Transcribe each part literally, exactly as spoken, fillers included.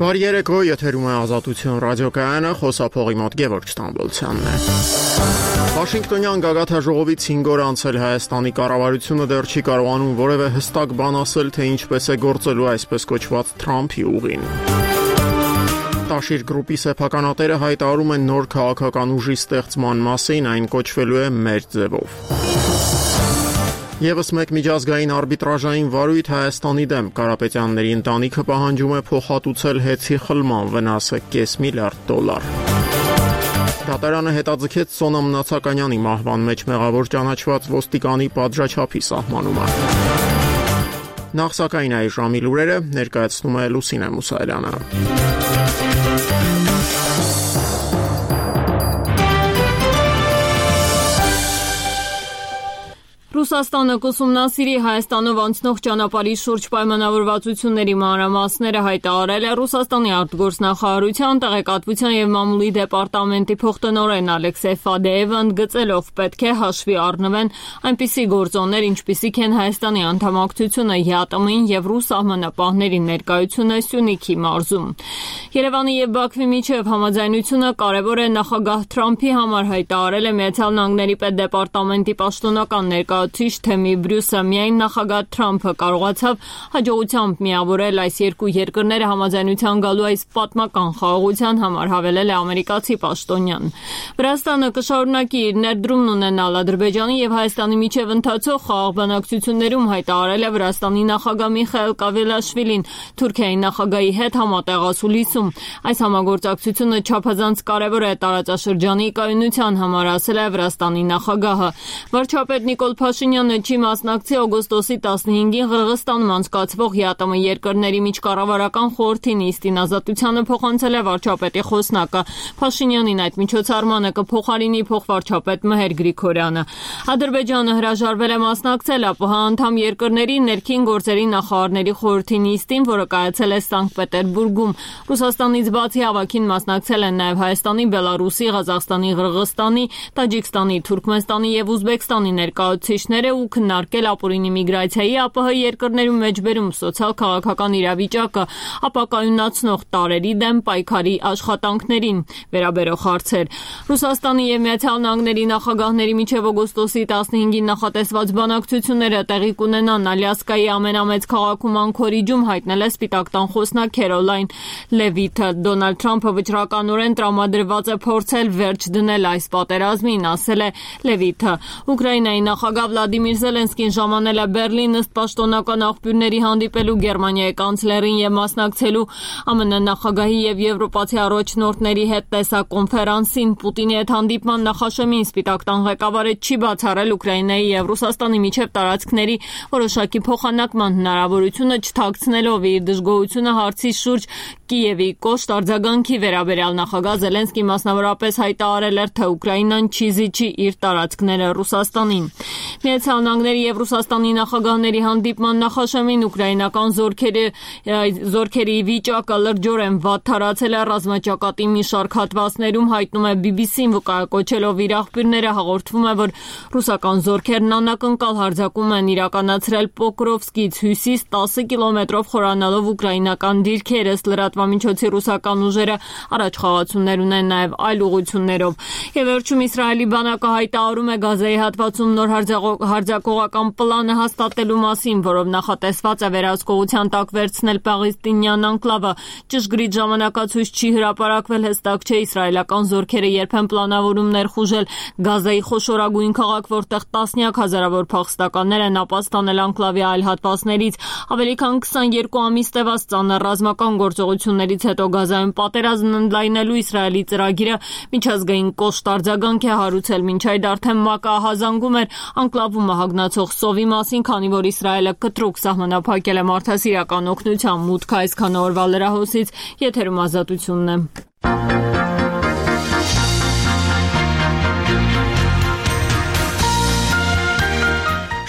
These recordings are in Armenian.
Բարի երեկո, եթերում է Ազատություն ռադիոկայանը, խոսափողի մոտ Գևորգ Ստամբոլցյանն է։ Վաշինգտոնյան գագաթնաժողովից հինգ օր անցել Հայաստանի կառավարությունը դեռ չի կարողանում որևէ հստակ բան ասել, թե ինչպես է գործելու այսպես կոչված Թրամփի ուղին։ Տաշիր գրուպի սեփականատերը հայտարարում են նոր քաղաքական ուժի ստեղծման մասին, այն կոչվելու է մեր ձևով։ Եվս մեկ միջազգային արբիտրաժային վարույթ Հայաստանի դեմ Կարապետյանների ընտանիքը պահանջում է փոխհատուցել հեծի խլման վնասը կես միլիարդ դոլար։ Դատարանը հետաձգեց Սոնա Մնացականյանի մահվան մեջ մեղավոր ճանաչված ոստիկանի պատժաչափի սահմանումը։ Նախ սակայն այս ժամի լուրերը ներկայացնում է Լուսինե Մուսայելյանը։ Ռուսաստանը կուսումնասիրի Հայաստանով անցնող ճանապարհի շուրջ պայմանավորվածությունների մանրամասները հայտարարել է Ռուսաստանի արտգործնախարարության, տեղեկատվության եւ մամուլի դեպարտամենտի փոխտնօրեն Ալեքսեյ Ֆադեևը ընդգծելով պետք է հաշվի առնվեն այնպիսի գործոններ, ինչպիսիք են Հայաստանի անդամակցությունը ԵԱՏՄ-ին եւ ռուս սահմանապահների ներկայությունը Սյունիքի մարզում։ Երևանի եւ Բաքվի միջև համաձայնությունը կարևոր է նախագահ Թրամփի համար հայտարարել է Միացյալ Նահանգների պետդեպարտամենտի պաշտոնական ներկայացուցիչ Թեմի Բրյուսը։ Միայն նախագահ Թրամփը կարողացավ հաջողությամբ միավորել այս երկու երկրները համաձայնության գալու այս պատմական խաղաղության համար, հավելել է ամերիկացի պաշտոնյան։ Վրաստանը կշարունակի իր ներդրումն ունենալ Ադրբեջանի եւ Հայաստանի միջև ընթացող խաղաղ բանակցություններում, հայտարարել է Վրաստանի նախագահ Միխայիլ Կավելաշվիլին Թուրքիայի նախագահի հետ համատեղ ասուլիսում։ Այս համագործակցությունը չափազանց կարևոր է տարածաշրջանի կայունության համար, ասել է Վրաստանի նախագահը։ Վարչապետ Նիկոլ Փաշինյանը չի մասնակցի օգոստոսի տասնհինգին Ղրղստանում անցկացվող ԵԱՏՄ երկրների միջկառավարական խորհրդի նիստին, ազատությանը փոխանցել է վարչապետի խոսնակը։ Փաշինյանին այդ միջոցառմանը կփոխարինի փոխվարչապետ Մհեր Գրիգորյանը։ Ադրբեջանը հրաժարվել է մասնակցել ԱՊՀ անդամ երկրների ներքին գործերի նախարարների խորհրդի նիստին, որը կայացել է Սանկտ Պետերբուրգում։ Ռուսաստանից բացի հավաքին մասնակցել են նաև Հայաստանի, Բելարուսի, Ղազախստանի, Ղրղստանի, Տաջիկստանի, Թուրքմենստանի եւ Ուզբեկստանի ներկայացուցիչները ու քննարկել ապօրինի միգրացիայի ԱՊՀ երկրներում մեջբերում սոցիալ-քաղաքական իրավիճակը, ապակայունացնող տարրերի դեմ պայքարի աշխատանքներին վերաբերող հարցեր։ Ռուսաստանի եւ Միացյալ Նահանգների նախագահների միջև օգոստոսի տասնհինգին նախատեսված բանակցությունները տեղի կունենան Ալյասկայի ամենամեծ քաղաքում Անքորիջում, հայտնել է Սպիտակ տան խոսնակ Քերոլայն Լևիթը։ Դոնալդ Թրամփը վճռականորեն տրամադրված է փորձել վերջ դնել այս պատերազմին, ասել է Լևիթը։ Ուկրաինայի նախագահ Վլադիմիր Զելենսկին ժամանել է Բերլին ըստ պաշտոնական աղբյուրների հանդիպելու Գերմանիայի կանցլերին եւ մասնակցելու ԱՄՆ նախագահի եւ եվրոպացի առաջնորդների հետ տեսակոնֆերանսին։ Պուտինի հետ հանդիպման նախաշեմին Սպիտակ տան ղեկավարը չի բացառել Ուկրաինայի եւ Ռուսաստանի միջև տարածքների որոշակի փոխանակման հնարավորությունը, չթաքցնելով իր դժգոհությունը հարցի շուրջ Կիևի կոշտ արձագանքի վերաբերյալ։ Նախագահ Զելենսկին մասնավորապես հայտարարել էր, թե Ուկրաինան չի զիջի իր տարածքները Ռուսաստանին։ Միացյալ Նահանգների եւ Ռուսաստանի նախագահների հանդիպման նախաշեմին ուկրաինական զորքերի զորքերի վիճակը լրջորեն վատ թարացել է ռազմաճակատի մի շարք հատվածներում, հայտնում է բի բի սին, վկայակոչելով իր աղբյուրները, հաղորդվում է, որ ռուսական զորքերն անակնկալ հարձակում են իրականացրել Պոկրովսկից հյուսիս տասը կիլոմետրով խորանալով ուկրաինական դիրքեր, ըստ լրատվամիջոցի ռուսական ուժերը առաջխաղացումներ ունեն նաև այլ ուղղություններով։ Եվ վերջում Իսրայելի բանակը հայտարարում է Գազայի հատվածում նոր հարձակողական պլանը հաստատելու մասին, որով նախատեսված է վերահսկողության տակ վերցնել պաղեստինյան անկլավը։ Ճշգրիտ ժամանակացույց չի հրապարակվել, հստակ չէ իսրայելական զորքերը երբ են պլանավորում ներխուժել Գազայի խոշորագույն քաղաք, որտեղ տասնյակ հազարավոր փախստականներ են ապաստանել անկլավի այլ հատվածներից։ Ավելի քան քսաներկու ամիս տևած ծանր ռազմական գործողություններից հետո Գազայում պատերազմն ընդլայնելու Իսրայելի ծրագիրը միջազգային կոշտ արձագանք է հարուցել։ Մինչ այդ արդեն ՄԱԿ-ը ահազանգում էր անկլավում մահագնացող սովի մասին, քանի որ Իսրայելը կտրուկ սահմանափակել է մարդասիրական օգնության մուտքը։ Այսքան օրվա լրահոսից եթերում Ազատությունն է։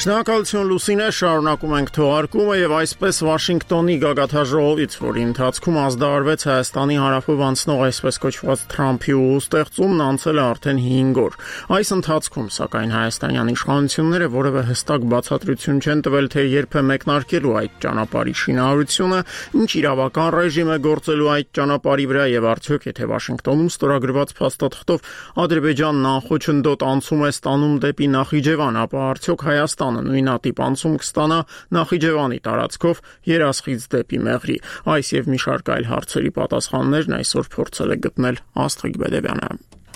Շնորհակալություն Լուսինե, շարունակում ենք թողարկումը եւ այսպես Վաշինգտոնի գագաթաժողովից, որի ընթացքում ազդարարվեց Հայաստանի հարավով անցնող այսպես կոչված Թրամփի ուղուստեղծումն, անցել է արդեն հինգ օր։ Այս ընթացքում, սակայն, հայաստանյան իշխանությունները որևէ հստակ բացատրություն չեն տվել, թե երբ է մեկնարկելու այդ ճանապարհի շինարարությունը, ինչ իրավական ռեժիմ է գործելու այդ ճանապարհի վրա եւ արդյոք եթե Վաշինգտոնում ստորագրված փաստաթղթով Ադրբեջանն անխոչնդոտ անցում է ստանում դեպի Նախիջևան, ապա արդյոք Հայաստանը նույնատիպ անցում կստանա Նախիջևանի տարածքով Երասխից դեպի Մեղրի։ Այս եւ մի շարք այլ հարցերի պատասխաններն այսօր փորձել է գտնել Աստղիկ Բեդևյանը։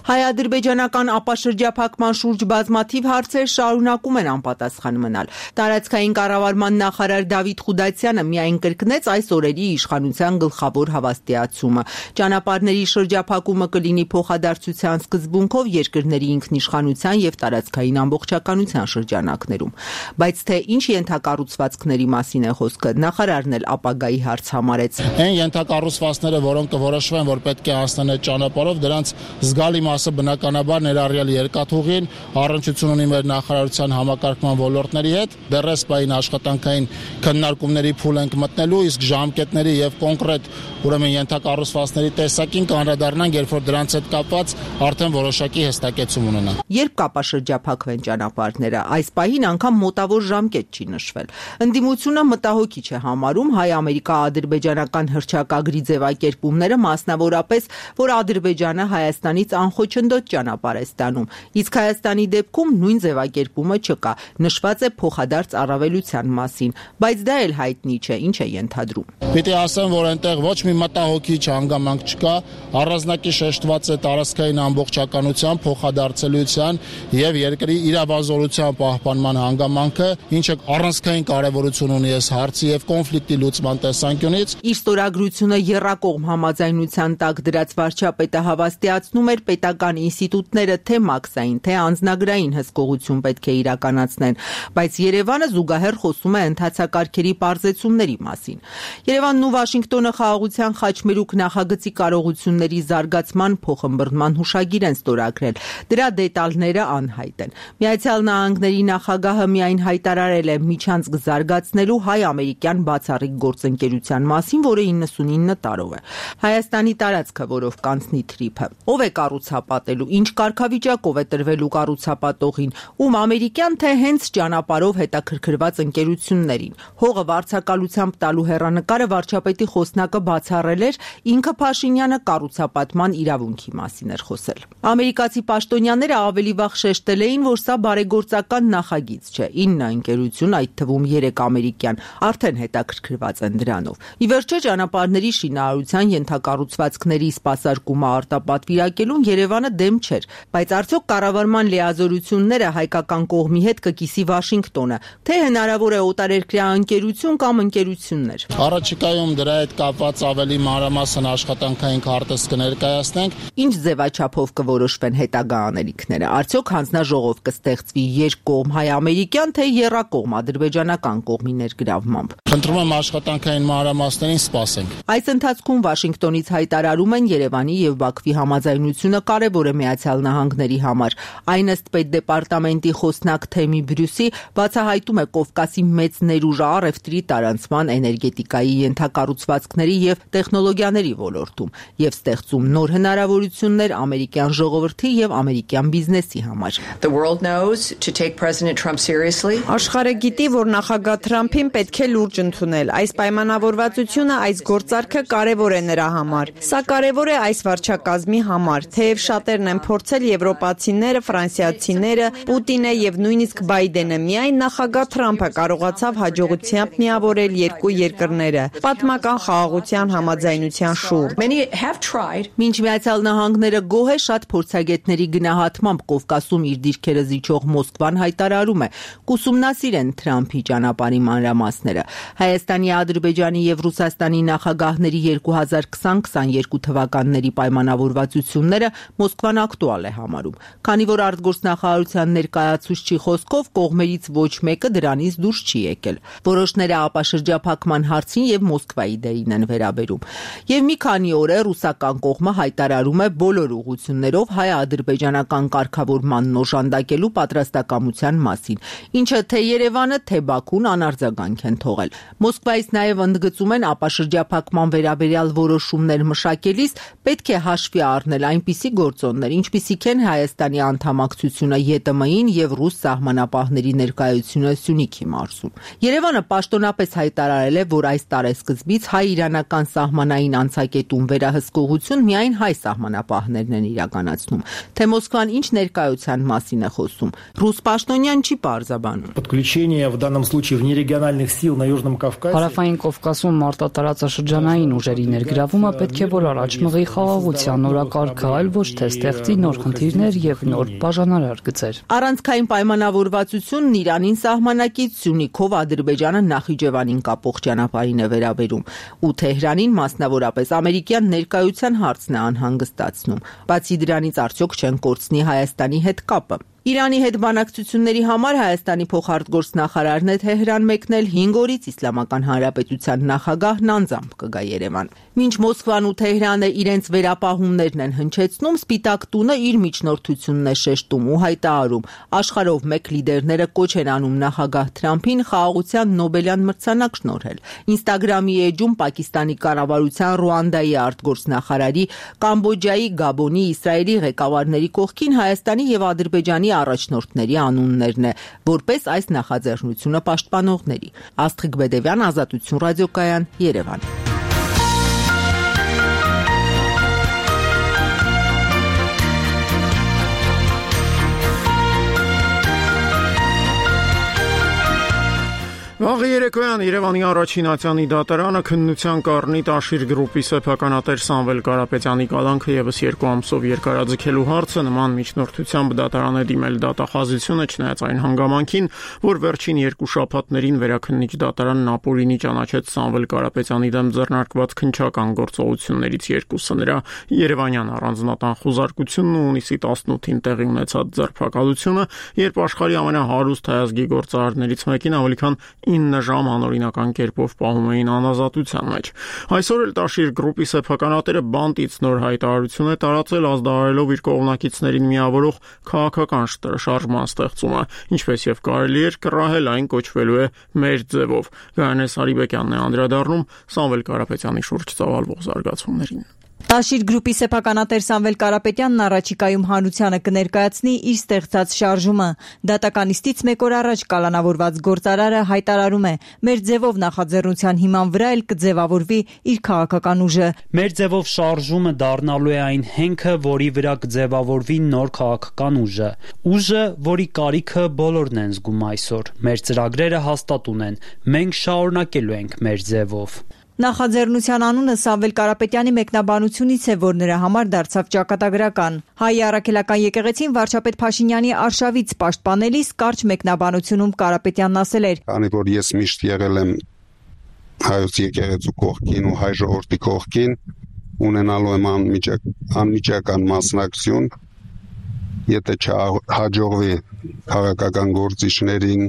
Հայ-ադրբեջանական ապաշրջափակման շուրջ բազմաթիվ հարցեր շարունակում են անպատասխան մնալ։ Տարածքային կառավարման նախարար Դավիթ Խուդասյանը միայն կրկնեց այս օրերի իշխանության գլխավոր հավաստիացումը։ Ճանապարհների շրջափակումը կլինի փոխադարձության սկզբունքով երկրների ինքնիշխանության եւ տարածքային ամբողջականության շրջանակներում։ Բայց թե ինչ ենթակառուցվածքների մասին է խոսքը, նախարարն էլ ապագայի հարց համարեց։ Այն ենթակառուցվածքները, որոնք կորոշվեն, որ պետք է անցնեն այդ ճանապարհով, դրանց զգալի մասը բնականաբար ներառյալ երկաթուղին, առնչություն ունի մեր նախարարության համակարգման ոլորտների հետ, դեռ սպային աշխատանքային քննարկումների փուլ ենք մտնելու, իսկ ժամկետների եւ կոնկրետ ուրեմն ենթակառուցվածքների տեսակին կանդրադառնանք, երբ որ դրանց հետ կապված արդեն որոշակի հստակեցում ունենա։ Երբ կապաշրջափակվեն ճանապարհները, այս պահին անգամ մոտավոր ժամկետ չի նշվել։ Ընդդիմությունը մտահոգիչ է համարում հայ-ամերիկա-ադրբեջանական հռչակագրի ձևակերպումները, մասնավորապես, որ Ադրբեջանը Հայաստանից անխոչնդոտ ճանապարհ է ստանում, իսկ Հայաստանի դեպքում նույն ձևակերպումը չկա, նշված է փոխադարձ առավելության մասին, բայց դա էլ հայտնի չէ, ինչ է ենթադրում։ Պիտի ասեմ, որ այնտեղ ոչ մի մտահոգիչ հանգամանք չկա, առանձնակի շեշտված է տարածքային ամբողջականության, փոխադարձելիության եւ երկրի իրավազորության պահպանման հանգամանքը, ինչը առանցքային կարեւորություն ունի այս հարցի եւ կոնֆլիկտի լուծման տեսանկյունից։ Իր ստորագրությունը եռակողմ համաձայնության տակ դրած վարչապետը հավաստիացնում էր պետական ինստիտուտները թե մաքսային, թե անձնագրային հսկողություն պետք է իրականացնեն, բայց Երևանը զուգահեռ խոսում է ընթացակարգերի պարզեցումների մասին։ Երևանն ու Վաշինգտոնը խաղաղության խաչմերուկ նախագծի կարողությունների զարգացման փոխըմբռնման հուշագիր են ստորագրել։ Դրա դետալները անհայտ են։ Միացյալ Նահանգների նախագահը միայն հայտարարել է միջանցք զարգացնելու հայ-ամերիկյան բացառիկ գործընկերության մասին, որը իննսունինը տարով է։ Հայաստանի տարածքը, որով կանցնի թրիփը, ով է կառուցապատելու, ինչ կարգավիճակով է տրվելու կառուցապատողին, ում ամերիկյան թե հենց ճանապարհով հետաքրքրված ընկերություններին։ Հողը վարձակալությամբ տալու հեռանկարը վարչապետի խոսնակը բացառել էր, ինքը Փաշինյանը կառուցապատման իրավունքի մասին էր խոսել։ Ամերիկացի պաշտոնյաները ավելի վաղ շեշտել էին, որ սա բարեգործական նախագիծ չէ։ ինը ընկերություն, այդ թվում երեք ամերիկյան, արդեն հետաքրքրված են դրանով։ Ի վերջո ճանապարհների շինարարության ենթակառուցվածքների սպասարկումը արտապատվիրակելուն Երևանը դեմ չէր, բայց արդյոք կառավարման լիազորությունները հայկական կողմի հետ կկիսի Վաշինգտոնը, թե հնարավոր է օտարերկրյա ընկերություն կամ ընկերություններ։ Առաջիկայում դրա հետ կապված ավելի մանրամասն աշխատանքային քարտեզ կներկայացնենք։ Ինչ ձևաչափով կորոշվեն հետագա անելիքները։ Արդյոք հանձնաժողով կստեղծվի երկկողմ հայ-ամերիկյան թե եռակողմ ադրբեջանական կողմի ներգրավմամբ։ Խնդրում եմ աշխատանքային մանրամասներին սպասենք։ Այս ընթացքում Վաշինգտոնից հայտարարում են Երևանի եւ Բաքվի համաձայնությունը կարևոր է Միացյալ Նահանգների համար։ Այն ըստ պետդեպարտամենտի խոսնակ Թեմի Բրյուսի բացահայտում է Կովկասի մեծ ներուժը առևտրի, տարանցման, էներգետիկայի, ենթակառուցվածքների եւ տեխնոլոգիաների ոլորտում եւ ստեղծում նոր հնարավորություններ ամերիկյան ժողովրդի եւ ամերիկյան բիզնեսի համար։ Աշխարհը գիտի, որ նախագահ Թրամփին պետք է լուրջ ընդունել։ Այս պայմանավորվածությունը, այս գործարքը կարևոր է նրա համար։ Սա կարևոր է այս վարչակազմի համար, թեև շատերն են փորձել եվրոպացիները, ֆրանսիացիները, Պուտինը եւ նույնիսկ Բայդենը, միայն նախագահ Թրամփը կարողացավ հաջողությամբ միավորել երկու երկրները պատմական խաղաղության համաձայնության շուրջ։ Մինչ Միացյալ Նահանգները գոհ է շատ փորձագետների գնահատմամբ Կովկասում իր դիրքերը զիջող Մոսկվան հայտարարում է կուսումնասիրեն Թրամփի ճանապարհի մանրամասները։ Հայաստանի, Ադրբեջանի եւ Ռուսաստանի նախագահների երկու հազար քսան քսաներկու թվականների պայմանավորվածությունները Մոսկվան ակտուալ է համարում, քանի որ արտգործնախարարության ներկայացուցչի խոսքով կողմերից ոչ մեկը դրանից դուրս չի եկել։ Որոշները ապաշրջափակման հարցին եւ Մոսկվայի դերին են վերաբերում։ Եվ մի քանի օր է ռուսական կողմը հայտարարում է բոլոր ուղղություններով հայ-ադրբեջանական կարգավորման օժանդակելու պատրաստակամության մասին, ինչը թե Երևանը, թե Բաքուն անարձագանք են թողել։ Մոսկվայից նաև ընդգծում են ապաշրջափակման վերաբերյալ որոշումներ մշակելիս պետք է հաշվի առնել այնպիսի գործոններ, ինչպիսիք են Հայաստանի անդամակցությունը ԵՏՄ-ին եւ ռուս սահմանապահների ներկայությունը Սյունիքի մարզում։ Երևանը պաշտոնապես հայտարարել է, որ այս տարեսկզբից հայ-իրանական սահմանային անցակետում վերահսկողություն միայն հայ սահմանապահներն են իրականացնում։ Թե Մոսկվան ինչ ներկայության մասին է խոսում, ռուս պաշտոնյան չի պարզաբանում։ Подключение в данном случае внерегиональных сил на Южном Кавказе. Հարավային Կովկասում մարտատարածաշրջանային ուժերի ներգրավումը պետք է որ առաջ մղի խաղաղության օրակարգը, այլ ոչ թե ստեղծի նոր խնդիրներ եւ նոր բաժանարար գծեր։ Առանցքային պայմանավորվածությունն Իրանին սահմանակից Սյունիքով Ադրբեջանը Նախիջևանին կապող ճանապարհին է վերաբերում, ու Թեհրանին մասնավորապես ամերիկյան ներկայության հարցն է անհանգստացնում։ Բացի դրանից արդյոք չեն կորցնի Հայաստանի հետ կապը։ Իրանի հետ բանակցությունների համար Հայաստանի փոխարտգործնախարարն է Թեհրան մեկնել հինգ օրից Իսլամական Հանրապետության նախագահն անձամբ կգա Երևան։ Մինչ Մոսկվան ու Թեհրանը իրենց վերապահումներն են հնչեցնում, Սպիտակ տունը իր միջնորդությունն է շեշտում ու հայտարարում, աշխարհով մեկ լիդերները կոչ են անում նախագահ Թրամփին խաղաղության Նոբելյան մրցանակ շնորհել։ Ինստագրամի էջում Պակիստանի կառավարության, Ռուանդայի արտգործնախարարի, Կամբոջայի, Գաբոնի, Իսրայելի ղեկավարների կողքին Հայաստանի եւ Ադրբեջանի առաջնորդների անուններն է, որպես այս նախաձեռնությունը պաշտպանողների։ Աստղիկ Բեդևյան, Ազատություն ռադիոկայան, Երևան։ Վաղ երեկոյան Երևանի առաջին ատյանի դատարանը քննության կառնի Տաշիր գրուպի սեփականատեր Սամվել Կարապետյանի կալանքը եւս երկու ամսով երկարաձգելու հարցը նման միջնորդությամբ դատարան է դիմել դատախազությունը, չնայած այն հանգամանքին, որ վերջին երկու շաբաթներին վերաքննիչ դատարանն ապօրինի ճանաչեց Սամվել Կարապետյանի դեմ ձեռնարկված քննչական գործողություններից երկուսը՝ նրա Երևանյան առանձնատան խուզարկությունն ու հունիսի տասնութին տեղի ունեցած ձերբակալությունը, երբ աշխարհի ամենահարուստ հայազգի գործարարներից մեկին ավելի քան ինը ժամ անօրինական կերպով պահում էին անազատության մեջ։ Այսօր էլ Տաշիր գրուպի սեփականատերը բանտից նոր հայտարարություն է տարածել, ազդարարելով իր կողմնակիցներին միավորող քաղաքական շարժման ստեղծումը, ինչպես եւ կարելի էր կռահել, այն կոչվելու է մեր ձևով։ Գայանե Սարիբեկյանն է անդրադառնում Սամվել Կարապետյանի շուրջ ծավալվող զարգացումներին։ Տաշիր գրուպի սեփականատեր Սամվել Կարապետյանն առաջիկայում հանրությանը կներկայացնի իր ստեղծած շարժումը։ Դատականիստից մեկ օր առաջ կալանավորված գործարարը հայտարարում է, մեր ձևով նախաձեռնության հիման վրա էլ կձևավորվի իր քաղաքական ուժը։ Մեր ձևով շարժումը դառնալու է այն հենքը, որի վրա կձևավորվի նոր քաղաքական ուժը։ Ուժը, որի կարիքը բոլորն են զգում այսօր։ Մեր ծրագրերը հաստատ ունեն։ Մենք շարունակելու ենք մեր ձևով։ Նախաձեռնության անունը Սամվել Կարապետյանի մեկնաբանությունից է, որ նրա համար դարձավ ճակատագրական։ Հայ առաքելական եկեղեցին վարչապետ Փաշինյանի արշավից պաշտպանելիս կարճ մեկնաբանությունում Կարապետյանն ասել էր. Քանի որ ես միշտ եղել եմ հայոց եկեղեցու կողքին ու հայ ժողովրդի կողքին, ունենալու եմ անմիջական մասնակցություն, եթե չհաջողվի քաղաքական գործիչներին,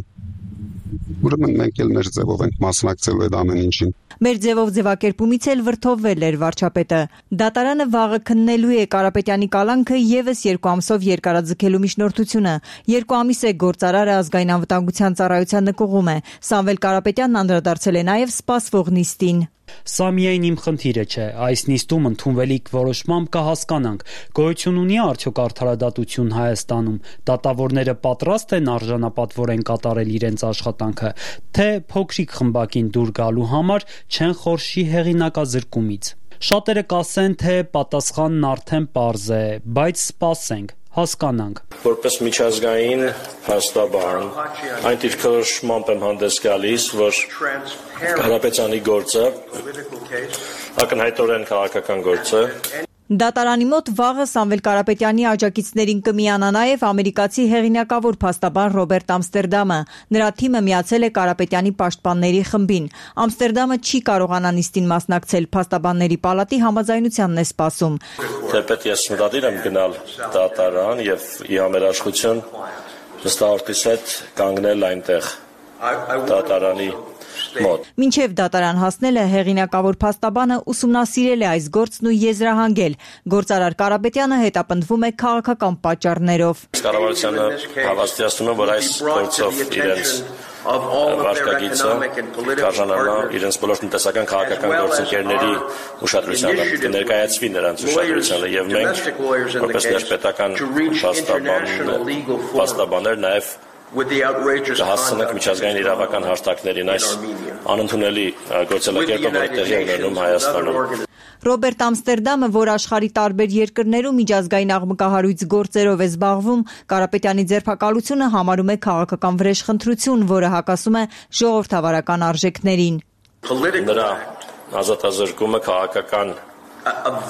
ուրեմն մենք էլ մեր ձևով ենք մասնակցելու այդ ամեն ինչին։ Մեր ձևով ձևակերպումից էլ վրդովվել էր վարչապետը։ Դատարանը վաղը քննելու է Կարապետյանի կալանքը եւս երկու ամսով երկարաձգելու միջնորդությունը։ Երկու ամիս է գործարարը ազգային անվտանգության ծառայության նկուղում է։ Սամվել Կարապետյանն անդրադարձել է նաեւ սպասվող նիստին։ Սա միայն իմ խնդիրը չէ, այս նիստում ընդունվելիք որոշմամբ կհասկանանք, գոյություն ունի արդյոք արդարադատություն Հայաստանում, դատավորները պատրաստ են արժանապատվորեն կատարել իրենց աշխատանքը, թե փոքրիկ խմբակին դուր գալու համար չեն խորշի հեղինակազրկումից։ Շատերը կասեն, թե պատասխանն արդեն պարզ է, բայց սպասենք, հասկանանք։ Որպես միջազգային հաստաբան, այն դիրքորոշմամբ եմ հանդես գալիս, որ Կարապետյանի գործը ակնհայտորեն քաղաքական գործ է, Դատարանի մոտ վաղը Սամվել Կարապետյանի աջակիցներին կմիանա նաև ամերիկացի հեղինակավոր փաստաբան Ռոբերտ Ամստերդամը։ Նրա թիմը միացել է Կարապետյանի պաշտպանների խմբին։ Ամստերդամը չի կարողանա նիստին մասնակցել, փաստաբանների պալատի համաձայնությանն է սպասում։ Թեպետ ես մտադիր եմ գնալ դատարան եւ ի համերաշխություն հստակորտիս հետ կանգնել այնտեղ դատարանի մոտ։ Մինչև դատարան հասնելը հեղինակավոր փաստաբանը ուսումնասիրել է այս գործն ու եզրահանգել։ Գործարար Կարապետյանը հետապնդվում է քաղաքական պատճառներով։ Կառավարությանը հավաստիացնում է, որ այս գործով իրենց վարկագիծը կարժանանա իրենց բոլոր տնտեսական քաղաքական գործընկերների ուշադրությանը, կներկայացվի նրանց ուշադրությանը եւ մենք որպես ներպետական փաստաբաններ նաեւ հասցնենք միջազգային իրավական հաշտարկներին այս անընդունելի գործելակերպը, որը տեղի է ունենում Հայաստանում։ Ռոբերտ Ամստերդամը, որ աշխարհի տարբեր երկրներում միջազգային աղմկահարույց գործերով է զբաղվում, Կարապետյանի ձերբակալությունը համարում է քաղաքական վրեժխնդրություն, որը հակասում է ժողովրդավարական արժեքներին։ Նրա ազատազրկումը քաղաքական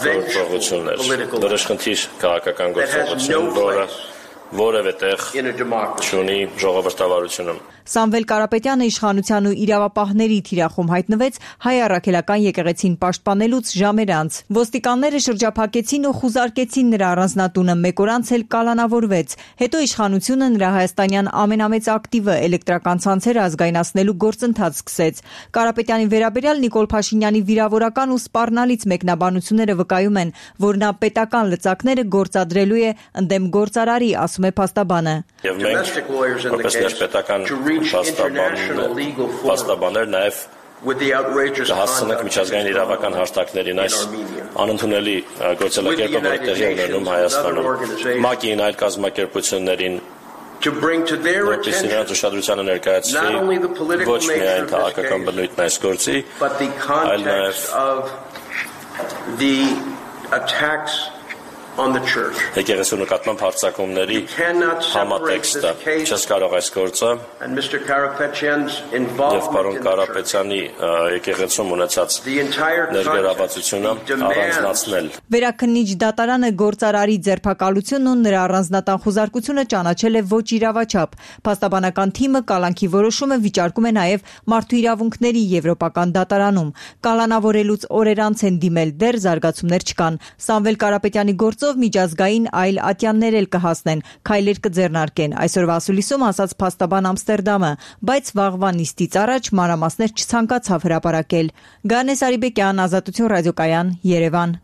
գործողություն էր, վրեժխնդիր քաղաքական գործողություն, որը որևէ տեղ չունի ժողովրդավարությունում։ Սամվել Կարապետյանը իշխանության ու իրավապահների թիրախում հայտնվեց հայ առաքելական եկեղեցին պաշտպանելուց ժամեր անց։ Ոստիկանները շրջափակեցին ու խուզարկեցին նրա առանձնատունը, մեկ օր անց էլ կալանավորվեց։ Հետո իշխանությունը նրա հայաստանյան ամենամեծ ակտիվը էլեկտրական ցանցերը ազգայնացնելու գործընթաց սկսեց։ Կարապետյանի վերաբերյալ Նիկոլ Փաշինյանի վիրավորական ու սպառնալից մեկնաբանությունները վկայում են, որ նա պետական լծակները գործադրելու է ընդդեմ գործարարի, ասում է փաստաբանը։ Եվ մենք որպես ներպետական փաստաբաններ նաև հասցնենք միջազգային իրավական հաշտարկներին այս անընդունելի գործելակերպը, որը տեղի է ունենում Հայաստանում։ ՄԱԿ-ին, այլ կազմակերպություններին որպես նրանց ուշադրությանը ներկայացվի ոչ միայն քաղաքական բնույթն այս գործի, այլ նաև եկեղեցու նկատմամբ հարձակումների համատեքստը։ Չես կարող այս գործը եւ պարոն Կարապետյանի եկեղեցում ունեցած ներգրավվածությունը առանձնացնել։ Վերաքննիչ դատարանը գործարարի ձերբակալությունն ու նրա առանձնատան խուզարկությունը ճանաչել է ոչ իրավաչափ։ Փաստաբանական թիմը կալանքի որոշումը վիճարկում է նաև մարդու իրավունքների եվրոպական դատարանում։ Կալանավորելուց օրեր անց են դիմել, դեռ զարգացումներ չկան։ Սամվել Կարապետյանի գործով միջազգային այլ ատյաններ էլ կհասնեն, քայլեր կձեռնարկեն, այսօրվա ասուլիսում ասաց փաստաբան Ամստերդամը, բայց վաղվա նիստից առաջ մանրամասներ չցանկացավ հրապարակել։ Գանես Արիբեկյան, Ազատություն ռադիոկայան, Երևան։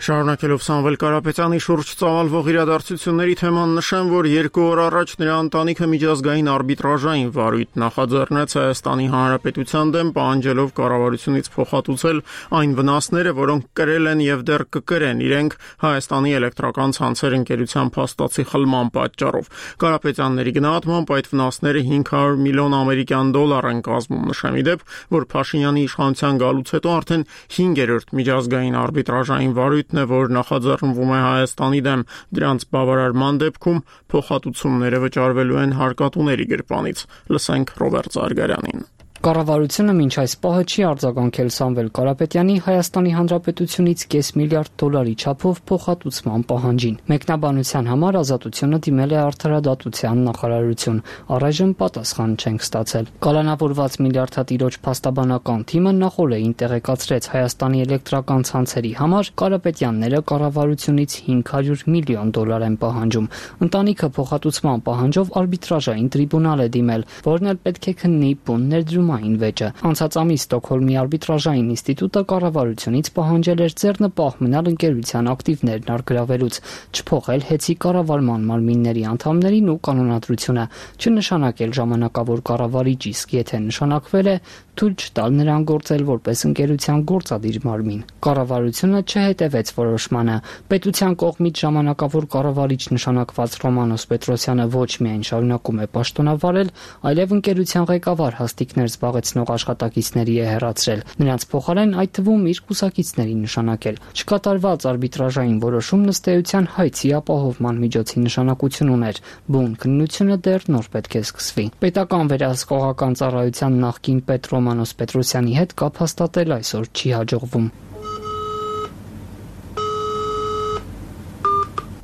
Շարունակելով Սամվել Կարապետյանի շուրջ ծավալվող իրադարձությունների թեման, նշեմ, որ երկու օր առաջ նրա ընտանիքը միջազգային արբիտրաժային վարույթ նախաձեռնեց Հայաստանի Հանրապետության դեմ, պահանջելով կառավարությունից փոխհատուցել այն վնասները, որոնք կրել են եւ դեռ կկրեն իրենք Հայաստանի էլեկտրական ցանցեր ընկերության փաստացի խլման պատճառով։ Կարապետյանների գնահատմամբ այդ վնասները հինգ հարյուր միլիոն ամերիկյան դոլար են կազմում։ Նշեմ ի դեպ, որ Փաշինյանի իշխանության գալուց հետո արդեն հինգերորդ միջազգային արբիտրաժային վարույթն է, որ նախաձեռնվում է Հայաստանի դեմ, դրանց բավարարման դեպքում փոխհատուցումները վճարվելու են հարկատուների գրպանից։ Լսենք Ռոբերտ Զարգարյանին։ Կառավարությունը մինչ այս պահը չի արձագանքել Սամվել Կարապետյանի Հայաստանի Հանրապետությունից կես միլիարդ դոլարի չափով փոխհատուցման պահանջին։ Մեկնաբանության համար Ազատությունը դիմել է Արդարադատության նախարարություն, առայժմ պատասխան չենք ստացել։ Կալանավորված միլիարդատիրոջ փաստաբանական թիմը նախօրեին տեղեկացրեց Հայաստանի էլեկտրական ցանցերի համար Կարապետյանները կառավարությունից հինգ հարյուր միլիոն դոլար են պահանջում։ Ընտանիքը փոխհատուցման պահանջով արբիտրաժային տրիբունալ է դիմել, որն էլ պետք է քննի բուն ներդրում վեճը։ Անցած ամիս Ստոկհոլմի արբիտրաժային ինստիտուտը կառավարությունից պահանջել էր ձեռնպահ մնալ ընկերության ակտիվներն առգրավելուց, չփոխել հեծի կառավարման մարմինների անդամներին ու կանոնադրությունը, չնշանակել ժամանակավոր կառավարիչ, իսկ եթե նշանակվել է, թույլ չտալ նրան գործել որպես ընկերության գործադիր մարմին։ Կառավարությունը չհետևեց որոշմանը։ Պետության կողմից ժամանակավոր կառավարիչ նշանակված Ռոմանոս Պետրոսյանը ոչ միայն շարունակում է պաշտոնավարել, այլև ընկերության ղեկավար հաստիկներ զբաղեցնող աշխատակիցների է հեռացրել։ Նրանց փոխարեն այդ թվում իր կուսակիցների նշանակել։ Չկատարված արբիտրաժային որոշումն ըստ էության հայցի ապահովման միջոցի նշանակություն ուներ։ Բուն քննությունը դեռ նոր պետք է սկսվի։ Պետական վերահսկողական ծառայության նախկին պետ Ռոմանոս Պետրոսյանի հետ կապ հաստատել այսօր չի հաջողվում։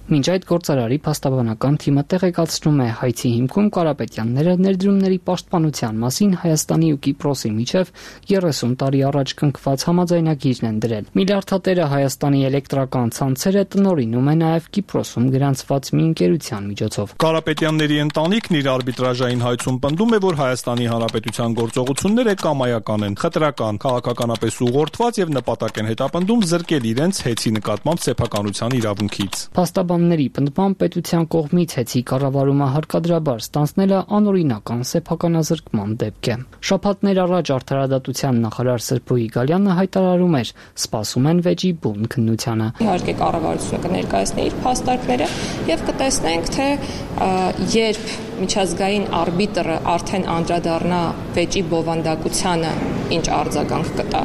Մինչ այդ գործարարի փաստաբանական թիմը տեղեկացնում է հայցի հիմքում Կարապետյանները ներդրումների պաշտպանության մասին Հայաստանի ու Կիպրոսի միջև երեսուն տարի առաջ կնքված համաձայնագիրն են դրել։ Միլիարդատերը Հայաստանի էլեկտրական ցանցերը տնօրինում է նաև Կիպրոսում գրանցված մի ընկերության միջոցով։ Կարապետյանների ընտանիքն իր արբիտրաժային հայցում պնդում է, որ Հայաստանի Հանրապետության գործողությունները կամայական են, խտրական, քաղաքականապես ուղղորդված եւ նպատակ են հետապնդում զրկել իրենց հեծի նկատմամբ սեփականության իրավունքից։ Փաստաբանների պնդմամբ պետության կողմից հեծի կառավարումը հարկադրաբար ստանձնելը անօրինական սեփականազրկման դեպք է։ Շաբաթներ առաջ արդարադատության նախարար Սրբոյի Գալյանը հայտարարում էր՝ սպասում են վեճի բուն քննությանը։ Իհարկե կառավարությունը կներկայացնի իր փաստարկները եւ կտեսնենք, թե երբ միջազգային արբիտրը արդեն անդրադառնա վեճի բովանդակությանը, ինչ արձագանք կտա,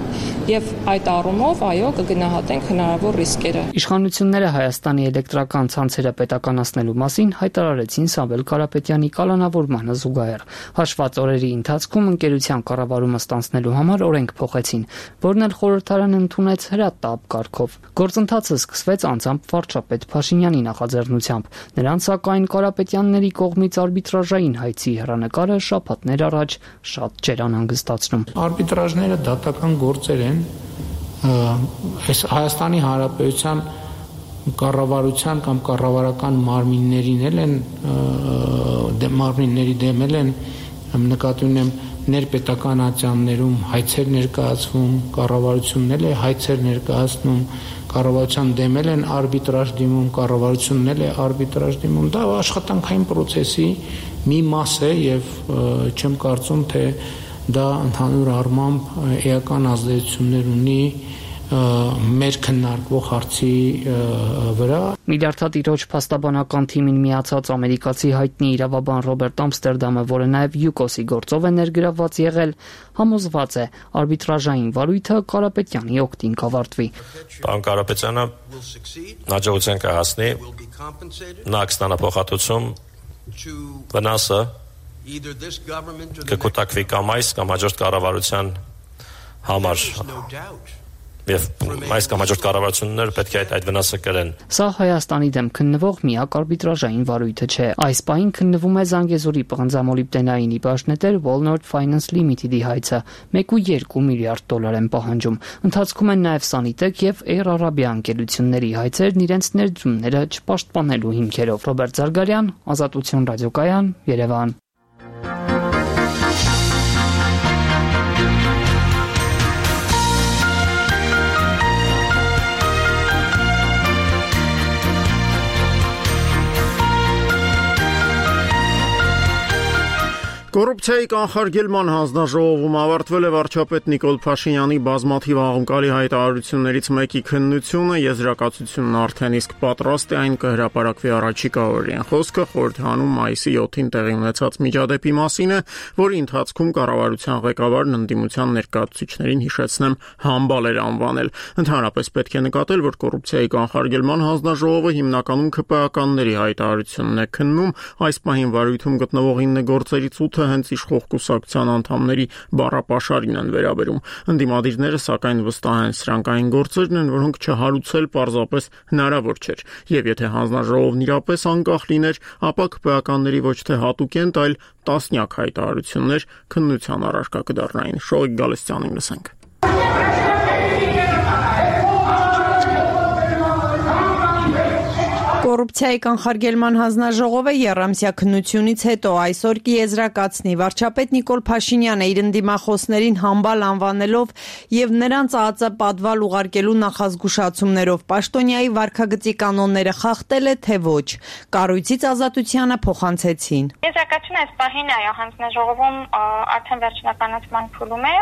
եւ այդ առումով այո կգնահատենք հնարավոր ռիսկերը։ Իշխանությունները Հայաստանի էլեկտրական ցանցերը պետականացնելու մասին հայտարարեցին Սամվել Կարապետյանի կալանավորմանը զուգահեռ։ Հաշված օրերի ընթացքում ընկերության կառավարումը ստանձնելու համար օրենք փոխեցին, որն էլ խորհրդարանը ընդունեց հրատապ կարգով։ Գործընթացը սկսվեց անձամբ վարչապետ Փաշինյանի նախաձեռնությամբ։ Նրանց սակայն Կարապետյանների կողմից արբիտրաժային հայցի հեռանկարը շաբաթներ առաջ շատ չէր անհանգստացնում։ Արբիտրաժները դատական գործեր են, այս Հայաստանի Հանրապետության կառավարության կամ կառավարական մարմիններին էլ են մարմինների դեմել են նկատի ունեմ ներպետական ատյաններում հայցեր ներկայացվում, կառավարությունն էլ է հայցեր ներկայացնում, կառավարության դեմել են արբիտրաժ դիմում, կառավարությունն էլ է արբիտրաժ դիմում։ Դա աշխատանքային process-ի մի մաս է եւ չեմ կարծում, թե դա ընդհանուր առմամբ էական ազդեցություններ ունի մեր քննարկվող հարցի վրա։ Միլիարդատիրոջ փաստաբանական թիմին միացած ամերիկացի հայտնի իրավաբան Ռոբերտ Ամստերդամը, որը նաև յուկոսի գործով է ներգրավված եղել, համոզված է արբիտրաժային վարույթը Կարապետյանի օգտին կավարտվի։ Պարոն Կարապետյանը հաջողության կհասնի, նա կստանա փոխհատուցում, վնասը կկուտակվի կամ այս կամ հաջորդ կառավարության համար։ Եվ այս կամ հաջորդ կառավարությունները պետք է այդ, այդ վնասը կրեն։ Սա Հայաստանի դեմ քննվող միակ արբիտրաժային վարույթը չէ։ Այս պահին քննվում է Զանգեզուրի պղնձամոլիբդենային իբաժնետեր Walnut Finance Limited-ի հայցը մեկ ու երկու միլիարդ դոլար են պահանջում։ Ընթացքում են նաև Sanitec եւ Air Arabia ընկերությունների հայցերն իրենց ներդրումները չպաշտպանելու հիմքերով։ Ռոբերտ Զարգարյան, Ազատություն ռադիոկայան, Երևան։ Կոռուպցիայի կանխարգելման հանձնաժողովում ավարտվել է վարչապետ Նիկոլ Փաշինյանի բազմաթիվ աղմկալի հայտարարություններից մեկի քննությունը, եզրակացությունն արդեն իսկ պատրաստ է, այն կհրապարակվի առաջիկա օրերին։ Խոսքը խորհրդանում մայիսի յոթին տեղի ունեցած միջադեպի մասին է, որի ընթացքում կառավարության ղեկավարն ընդդիմության ներկայացուցիչներին հիշեցնեմ համբալ էր անվանել։ Ընդհանրապես պետք է նկատել, որ կոռուպցիայի կանխարգելման հանձնաժողովը հիմնականում ՔՊԱ-կանների հայտարարությունն է քննում, այս պահին վարույթում գտնվող ինը գործերից ութը հենց իշխող կուսակցության անդամների բառապաշարին են վերաբերում։ Ընդդիմադիրները սակայն վստահ են, սրանք այն գործերն են, որոնք չհարուցել պարզապես հնարավոր չէր։ Եվ եթե հանձնաժողովն իրապես անկախ լիներ, ապա ՔՊԱ-կանների ոչ թե հատուկենտ, այլ տասնյակ հայտարարություններ քննության առարկա կդառնային։ Շողիկ Գալստյանին լսենք։ Կոռուպցիայի կանխարգելման հանձնաժողովը եռամսյա քննությունից հետո այսօր կիեզրակացնի վարչապետ Նիկոլ Փաշինյանը իր ընդդիմախոսներին համբալ անվանելով եւ նրանց ԱԱԾ պատվալ ուղարկելու նախազգուշացումներով պաշտոնյայի վարքագծի կանոնները խախտել է, թե ոչ։ Կառույցից Ազատությանը փոխանցեցին։ Եզրակացությունը այս պահին այո հանձնաժողովում արդեն վերջնականացման փուլում է։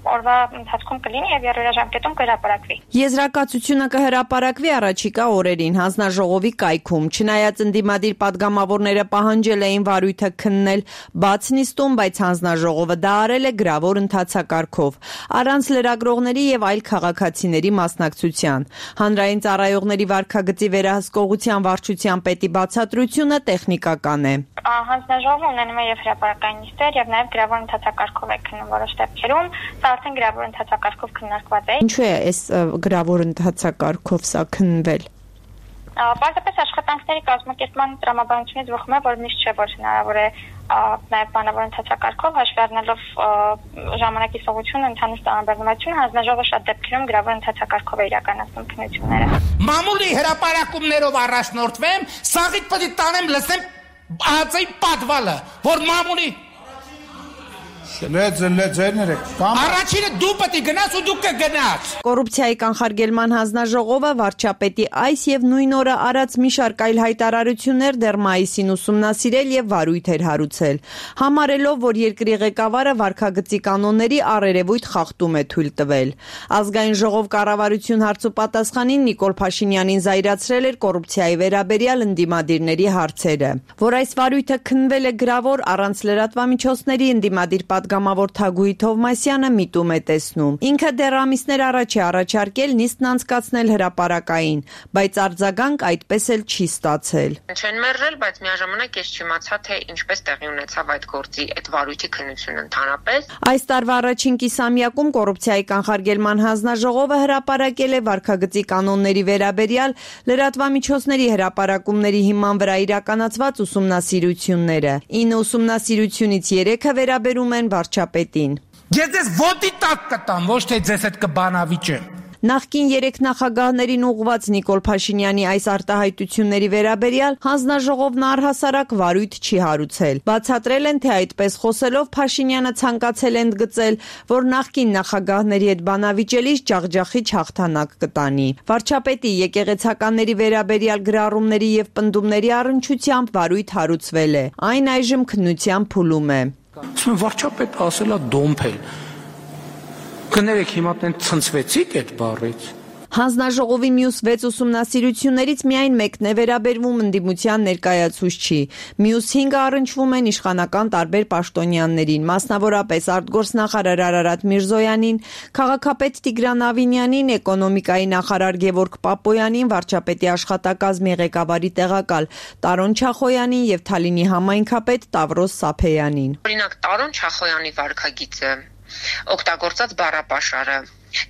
օրվա ընթացքում կլինի եւ երրորդաժամկետում կհրապարակվի։ Եզրակացությունը կհրապարակվի առաջիկա օրերին հանձնաժողովի կայքում։ Չնայած ընդդիմադիր падգամավորները պահանջել էին վարույթը քննել բաց նիստում, բայց հանձնաժողովը դա արել է գրավոր ընթացակարգով, առանց լրագրողների եւ այլ քաղաքացիների մասնակցության։ Հանրային ծառայողների վարքագծի վերահսկողության վարչության պետի բացատրությունը տեխնիկական է։ Հանձնաժողովը ունենում է եւ հրապարակային նիստեր եւ նաեւ գրավոր ընթացակարգով է քննում որոշ դեպքերում, սա արդեն գրավոր ընթացակարգով քննարկված է։ Ինչու է այս գրավոր ընթացակարգով սա քննվել։ Պարզապես աշխատանքների կազմակերպման տրամաբանությունից բխում է, որ միշտ չէ, որ հնարավոր է նաև բանավոր ընթացակարգով հաշվի առնելով ժամանակի սովությունը, ընդհանուր տրամաբանությունը, հանձնաժողովը շատ դեպքերում գրավոր ընթացակարգով է իրականացնում քննությունները։ Մամուլի հրապարակումներով առաջնորդվեմ, սաղից պետք է տանեմ լսեմ ածի պատվալը, որ մամուլի Առաջինը դու պետք է գնաս ու դու կգնաս։ Կոռուպցիայի կանխարգելման հանձնաժողովը վարչապետի այս եւ նույն օրը արած մի շարք այլ հայտարարություններ դեռ մայիսին ուսումնասիրել եւ վարույթ էր հարուցել, համարելով, որ երկրի ղեկավարը վարքագծի կանոնների առերևույթ խախտում է թույլ տվել։ Ազգային ժողով կառավարություն հարցուպատասխանին Նիկոլ Փաշինյանին զայրացրել էր կոռուպցիայի վերաբերյալ ընդդիմադիրների հարցերը, որ այս վարույթը քննվել է գրավոր առանց լրատվամիջոցների ընդդիմադիր Պատգամավոր Թագուհի Թովմասյանը միտում է տեսնում։ Ինքը դեռ ամիսներ առաջ է առաջարկել նիստն անցկացնել հրապարակային, բայց արձագանք այդպես էլ չի ստացել։ Չեն մերժել, բայց միաժամանակ ես չիմացա, թե ինչպես տեղի ունեցավ այդ գործի այդ վարույթի քննությունը ընդհանրապես։ Այս տարվա առաջին կիսամյակում կոռուպցիայի կանխարգելման հանձնաժողովը հրապարակել է վարքագծի կանոնների վերաբերյալ լրատվամիջոցների հրապարակումների հիման վրա իրականացված ուսումնասիրությունները։ ինը ուսումնասիրությունից երեքը վերաբերում են վարչապետին։ Ես ձեզ ոտի տակ կտամ, ոչ թե ձեզ հետ կբանավիճեմ։ Նախկին երեք նախագահներին ուղղված Նիկոլ Փաշինյանի այս արտահայտությունների վերաբերյալ հանձնաժողովն առհասարակ վարույթ չի հարուցել։ Բացատրել են, թե այդպես խոսելով Փաշինյանը ցանկացել է ընդգծել, որ նախկին նախագահների հետ բանավիճելիս ջախջախիչ հաղթանակ կտանի։ Վարչապետի եկեղեցականների վերաբերյալ գրառումների եւ պնդումների առնչությամբ վարույթ հարուցվել է։ Այն այժմ քննության փուլում է։ Ասում վարչապետ ասելա դոմփել։ Կներեք հիմա տեն ցնցվեցիք այդ բառից։ Հանձնաժողովի մյուս վեց ուսումնասիրություններից միայն մեկն է վերաբերվում ընդդիմության ներկայացուցչի։ Մյուս հինգը առնչվում են իշխանական տարբեր պաշտոնյաներին, մասնավորապես արտգործնախարար Արարատ Միրզոյանին, քաղաքապետ Տիգրան Ավինյանին, էկոնոմիկայի նախարար Գևորգ Պապոյանին, վարչապետի աշխատակազմի ղեկավարի տեղակալ Տարոն Չախոյանին եւ Թալինի համայնքապետ Տավրոս Սափեյանին։ Օրինակ Տարոն Չախոյանի վարքագիծը, օգտագործած բառապաշարը,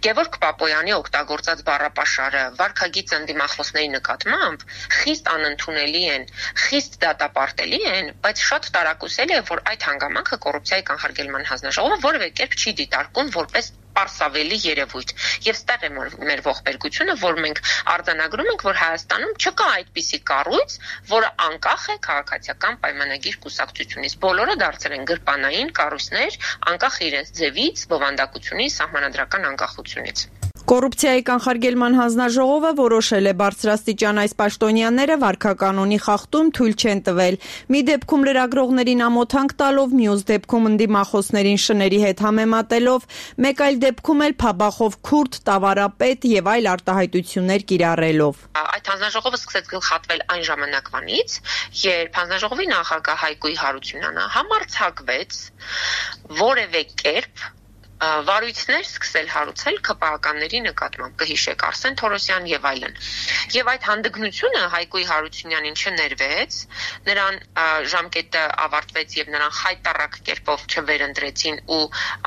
Գևորգ Պապոյանի օգտագործած բառապաշարը, վարքագիծը ընդդիմախոսների նկատմամբ խիստ անընդունելի են, խիստ դատապարտելի են, բայց շատ տարակուսելի է, որ այդ հանգամանքը կոռուպցիայի կանխարգելման հանձնաժողովը որևէ կերպ չի դիտարկում որպես պարսավելի երևույթ։ Եվ ստեղ է մեր ողբերգությունը, որ մենք արձանագրում ենք, որ Հայաստանում չկա այդպիսի կառույց, որը անկախ է քաղաքացիական պայմանագիր կուսակցությունից։ Բոլորը դարձել են գրպանային կառույցներ, անկախ իրենց ձևից, բովանդակությունից, սահմանադրական անկախությունից։ Կոռուպցիայի կանխարգելման հանձնաժողովը որոշել է բարձրաստիճան այս պաշտոնյաները վարքականոնի խախտում թույլ չեն տվել։ Մի դեպքում լրագրողներին ամոթանք տալով, մյուս դեպքում ընդդիմախոսներին շների հետ համեմատելով, մեկ այլ դեպքում էլ փաբախով քուրդ, տավարապետ եւ այլ արտահայտություններ կիրառելով։ Այդ հանձնաժողովը սկսեց գլխատվել այն ժամանակվանից, երբ հանձնաժողովի նախագահ Հայկոյի Հարությունյանը համարձակվեց որևէ կերպ վարույթներ սկսել հարուցել ԿՊԱ-ականների նկատմամբ, կհիշեք Արսեն Թորոսյան եւ այլն։ Եվ այդ հանդգնությունը Հայկոյի Հարությունյանին չներվեց, նրան ժամկետը ավարտվեց եւ նրան խայտառակ կերպով չվերընտրեցին ու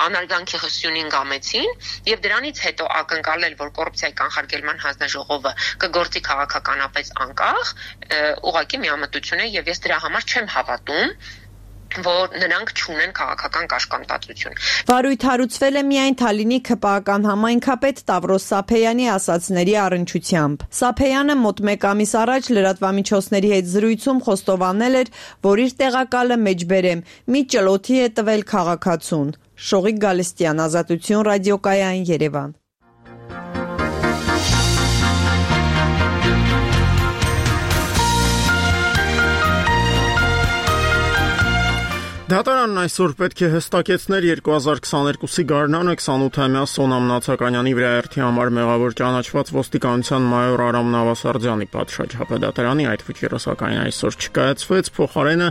անարգանքի հսյունին գամեցին եւ դրանից հետո ակնկալել, որ կոռուպցիայի կանխարգելման հանձնաժողովը կգործի քաղաքականապես անկախ, ուղղակի միամտություն է եւ ես դրա համար չեմ հավատում, որ նրանք չունեն քաղաքական կաշկանդվածություն։ Վարույթ հարուցվել է միայն Թալինի ԿՊԱ-ական համայնքապետ Տավրոս Սափեյանի ասացների առնչությամբ։ Սափեյանը մոտ մեկ ամիս առաջ լրատվամիջոցների հետ զրույցում խոստովանել էր, որ իր տեղակալը մեջբերեմ մի ճլոթի է տվել քաղաքացուն։ Շողիկ Գալստյան, Ազատություն ռադիոկայան, Երևան։ Դատարանն այսօր պետք է հստակեցներ երկու հազար քսաներկուսի գարնանը քսանութամյա Սոնա Մնացականյանի վրա երթի համար մեղավոր ճանաչված ոստիկանության մայոր Արամ Նավասարդյանի պատշաճ դատարանի այդ վճիռը սակայն այսօր չկայացվեց, փոխարենը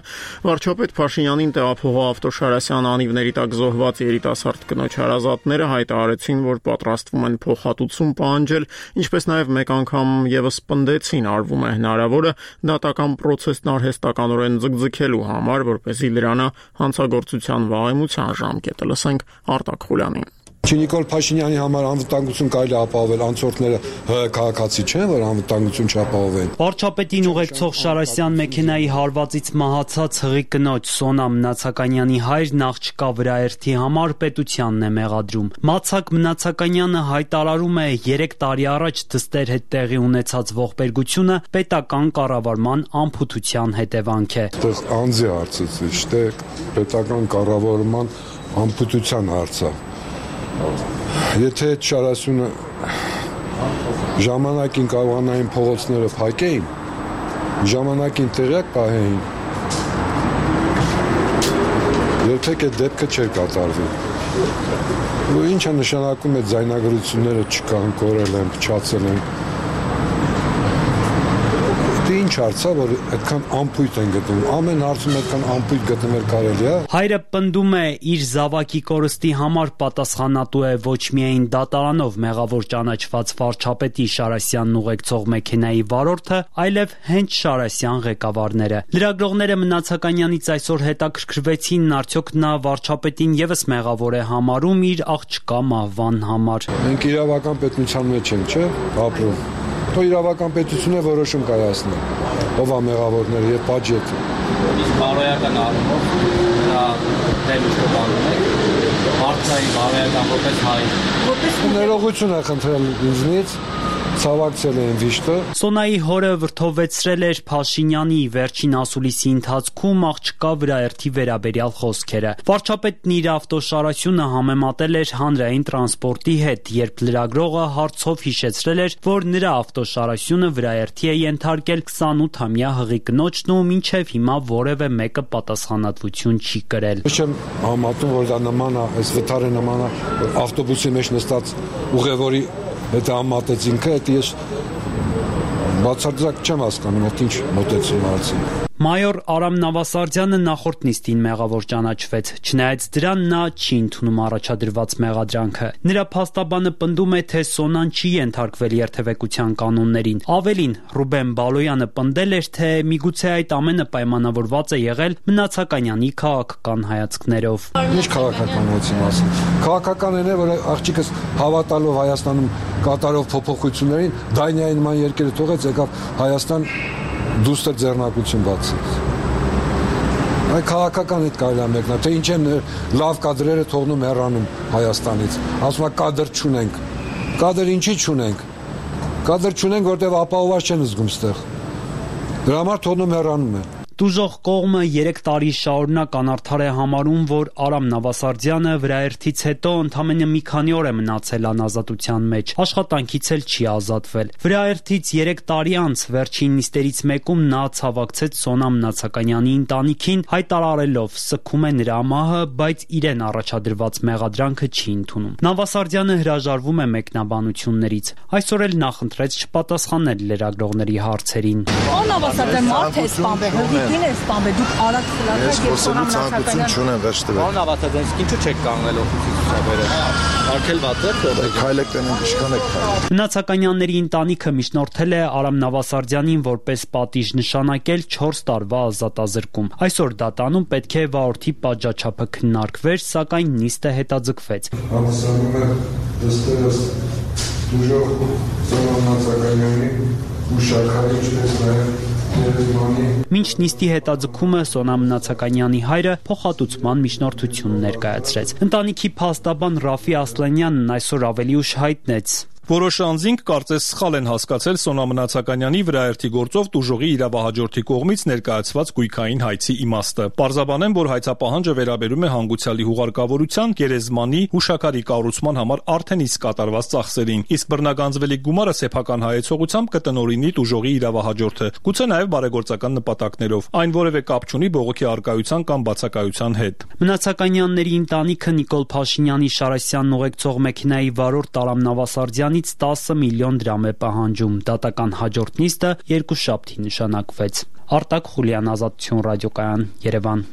վարչապետ Փաշինյանին տեղափոխող Ավտոշարասյան անիվների տակ զոհված երիտասարդ կնոջ հարազատները հայտարարեցին, որ պատրաստվում են փոխհատուցում պահանջել, ինչպես նաև մեկ անգամ եւս պնդեցին արվում է հնարավորը դատական պրոցեսն արհեստականորեն ձգձգելու համար, որպեսզի դրանը հանցագործության վաղեմության ժամկետը լսենք Արտակ Խուլյանին։ Նիկոլ Փաշինյանի համար անվտանգություն կարելի ապահովել, անցորդները ՀՀ քաղաքացի չեն, որ անվտանգություն չապահովեն։ Վարչապետին ուղեկցող Շարասյան մեքենայի հարվածից մահացած հղի կնոջ Սոնա Մնացականյանի հայրն աղջկա վրաերթի համար պետությանն է մեղադրում։ Մացակ Մնացականյանը հայտարարում է երեք տարի առաջ դստեր հետ տեղի ունեցած ողբերգությունը պետական կառավարման անփութության հետևանք է։ Այդտեղ անձի հարցից չէ, պետական կառավարման անփութության հարցը։ Եթե այդ Շարասյունը ժամանակին կարողանային փողոցները փակեին, ժամանակին տեղյակ պահեին, երբեք այդ դեպքը չէր կատարվի։ Ու ինչը նշանակում է ձայնագրությունները չկան, կորել են, փչացել են։ Դե ինչ հարցա, որ այդքան անփույթ են գտնում։ Ամեն հարցում այդքան անփույթ գտնել կարելի է։ Հայրը պնդում է, իր զավակի կորստի համար պատասխանատու է ոչ միայն դատարանով մեղավոր ճանաչված վարչապետի Շարասյանն ուղեկցող մեքենայի վարորդը, այլև հենց Շարասյան ղեկավարները։ Լրագրողները Մնացականյանից այսօր հետաքրքրվեցին, արդյոք նա վարչապետին եւս մեղավոր է համարում իր աղջկա մահվան համար։ Մենք իրավական պետության մեջ ենք, չէ՞, ապրում։ Թո իրավական պետությունը որոշում կայացնի, ով է մեղավորները եւ բաժետը։ Իսկ բարոյական առումով նրա դեմ շփանում եք, մարդկային բարոյական որպես հայ։ Որպես ներողություն է խնդրել ինձնից, ցավակցել են վիշտը։ Սոնայի հորը վրթովեցրել էր Փաշինյանի վերջին ասուլիսի ընթացքում աղջկա վրաերթի վերաբերյալ խոսքերը։ Վարչապետն իր ավտոշարասյունը համեմատել էր հանրային տրանսպորտի հետ, երբ լրագրողը հարցով հիշեցրել էր, որ նրա ավտոշարասյունը վրաերթի է ենթարկել քսանութամյա հղի կնոջն ու մինչև հիմա որևէ մեկը պատասխանատվություն չի կրել։ Չեմ համատում, որ դա նման է, այս վթարը նման է ավտոբուսի մեջ նստած ուղևորի հետ համատեցինք, այդ ես բացարձակ չեմ հասկանում, այդ ինչ մոտեցում հարցին։ Մայոր Արամ Նավասարդյանը նախորդ նիստին մեղավոր ճանաչվեց, չնայած դրան նա չի ընդունում առաջադրված մեղադրանքը։ Նրա փաստաբանը պնդում է, թե Սոնան չի ենթարկվել երթևեկության կանոններին։ Ավելին, Ռուբեն Բալոյանը պնդել էր, թե միգուցե այդ ամենը պայմանավորված է եղել Մնացականյանի քաղաքական հայացքներով։ Ինչ քաղաքականացի մասին։ Քաղաքականն է, որ աղջիկս հավատալով Հայաստանում կատարող փոփոխություններին, Դանիայի նման երկրը թողեց, եկավ Հայաստան դուստր ձեռնակություն բացեց։ Այդ քաղաքական հետ կարելի է մեկնա, թե ինչ են լավ կադրերը թողնում հեռանում Հայաստանից։ Ասում է կադր չունենք։ Կադր ինչի չունենք։ Կադր չունենք, որտեղ ապահովված չեն զգում ստեղ։ Դրա համար թողնում հեռանում են։ Դուժող կողմը երեք տարի շարունակ անարդար է համարում, որ Արամ Նավասարդյանը վրաերթից հետո ընդամենը մի քանի օր է մնացել անազատության մեջ, աշխատանքից էլ չի ազատվել։ Վրաերթից երեք տարի անց վերջին նիստերից մեկում նա ցավակցեց Սոնա Մնացականյանի ընտանիքին, հայտարարելով սգում է նրա մահը, բայց իրեն առաջադրված մեղադրանքը չի ընդունում։ Նավասարդյանը հրաժարվում է մեկնաբանություններից։ Այսօր էլ նախընտրեց չպատասխանել լրագրողների հարցերին։ Նավասարդյան մարդ է սպանվել։ Ինչ է սպանվել, դուք արագ խլացաք եւ Սոնա Մնացականյան չունեն վերջ տվել։ Պարոն Ավատադյան, ինչու չեք կանգնել օֆիսի ցուցաբերը։ Արկել վատը, քայլեք տենենք իշքան եք։ Մնացականյանների ընտանիքը միջնորդել է Արամ Նավասարդյանին որպես պատիժ նշանակել չորս տարվա ազատազրկում։ Այսօր դատանում պետք է վարորդի պատժաչափը քննարկվեր, սակայն նիստը հետաձգվեց։ Համսանում է դստերս դուժող Սոնա Մնացականյանի ու շարքարի ինչպես նաև Մինչ նիստի հետաձգումը Սոնա Մնացականյանի հայրը փոխհատուցման միջնորդություն ներկայացրեց։ Ընտանիքի փաստաբան Ռաֆի Ասլանյանն այսօր ավելի ուշ հայտնեց. Որոշ անձինք կարծես սխալ են հասկացել Սոնա Մնացականյանի վրաերթի գործով տուժողի իրավահաջորդի կողմից ներկայացված գույքային հայցի իմաստը։ Պարզաբանեմ, որ հայցապահանջը վերաբերում է հանգուցյալի հուղարկավորության, գերեզմանի, հուշաքարի կառուցման համար արդեն իսկ կատարված ծախսերին, իսկ բռնագանձվելի գումարը սեփական հայեցողությամբ կտնօրինի տուժողի իրավահաջորդը, գուցե նաև բարեգործական նպատակներով։ Այն որևէ կապ չունի բողոքի առկայության կամ բացակայության հետ։ Մնացականյանների ընտանիքը Նիկոլ Փաշինյանի Շարասյանն ուղեկցող մեքենայի վարորդ Տարամ Նավասարդյանից տասը միլիոն դրամ է պահանջում։ Դատական հաջորդ նիստը երկուշաբթի նշանակվեց։ Արտակ Խուլյան, Ազատություն ռադիոկայան, Երևան։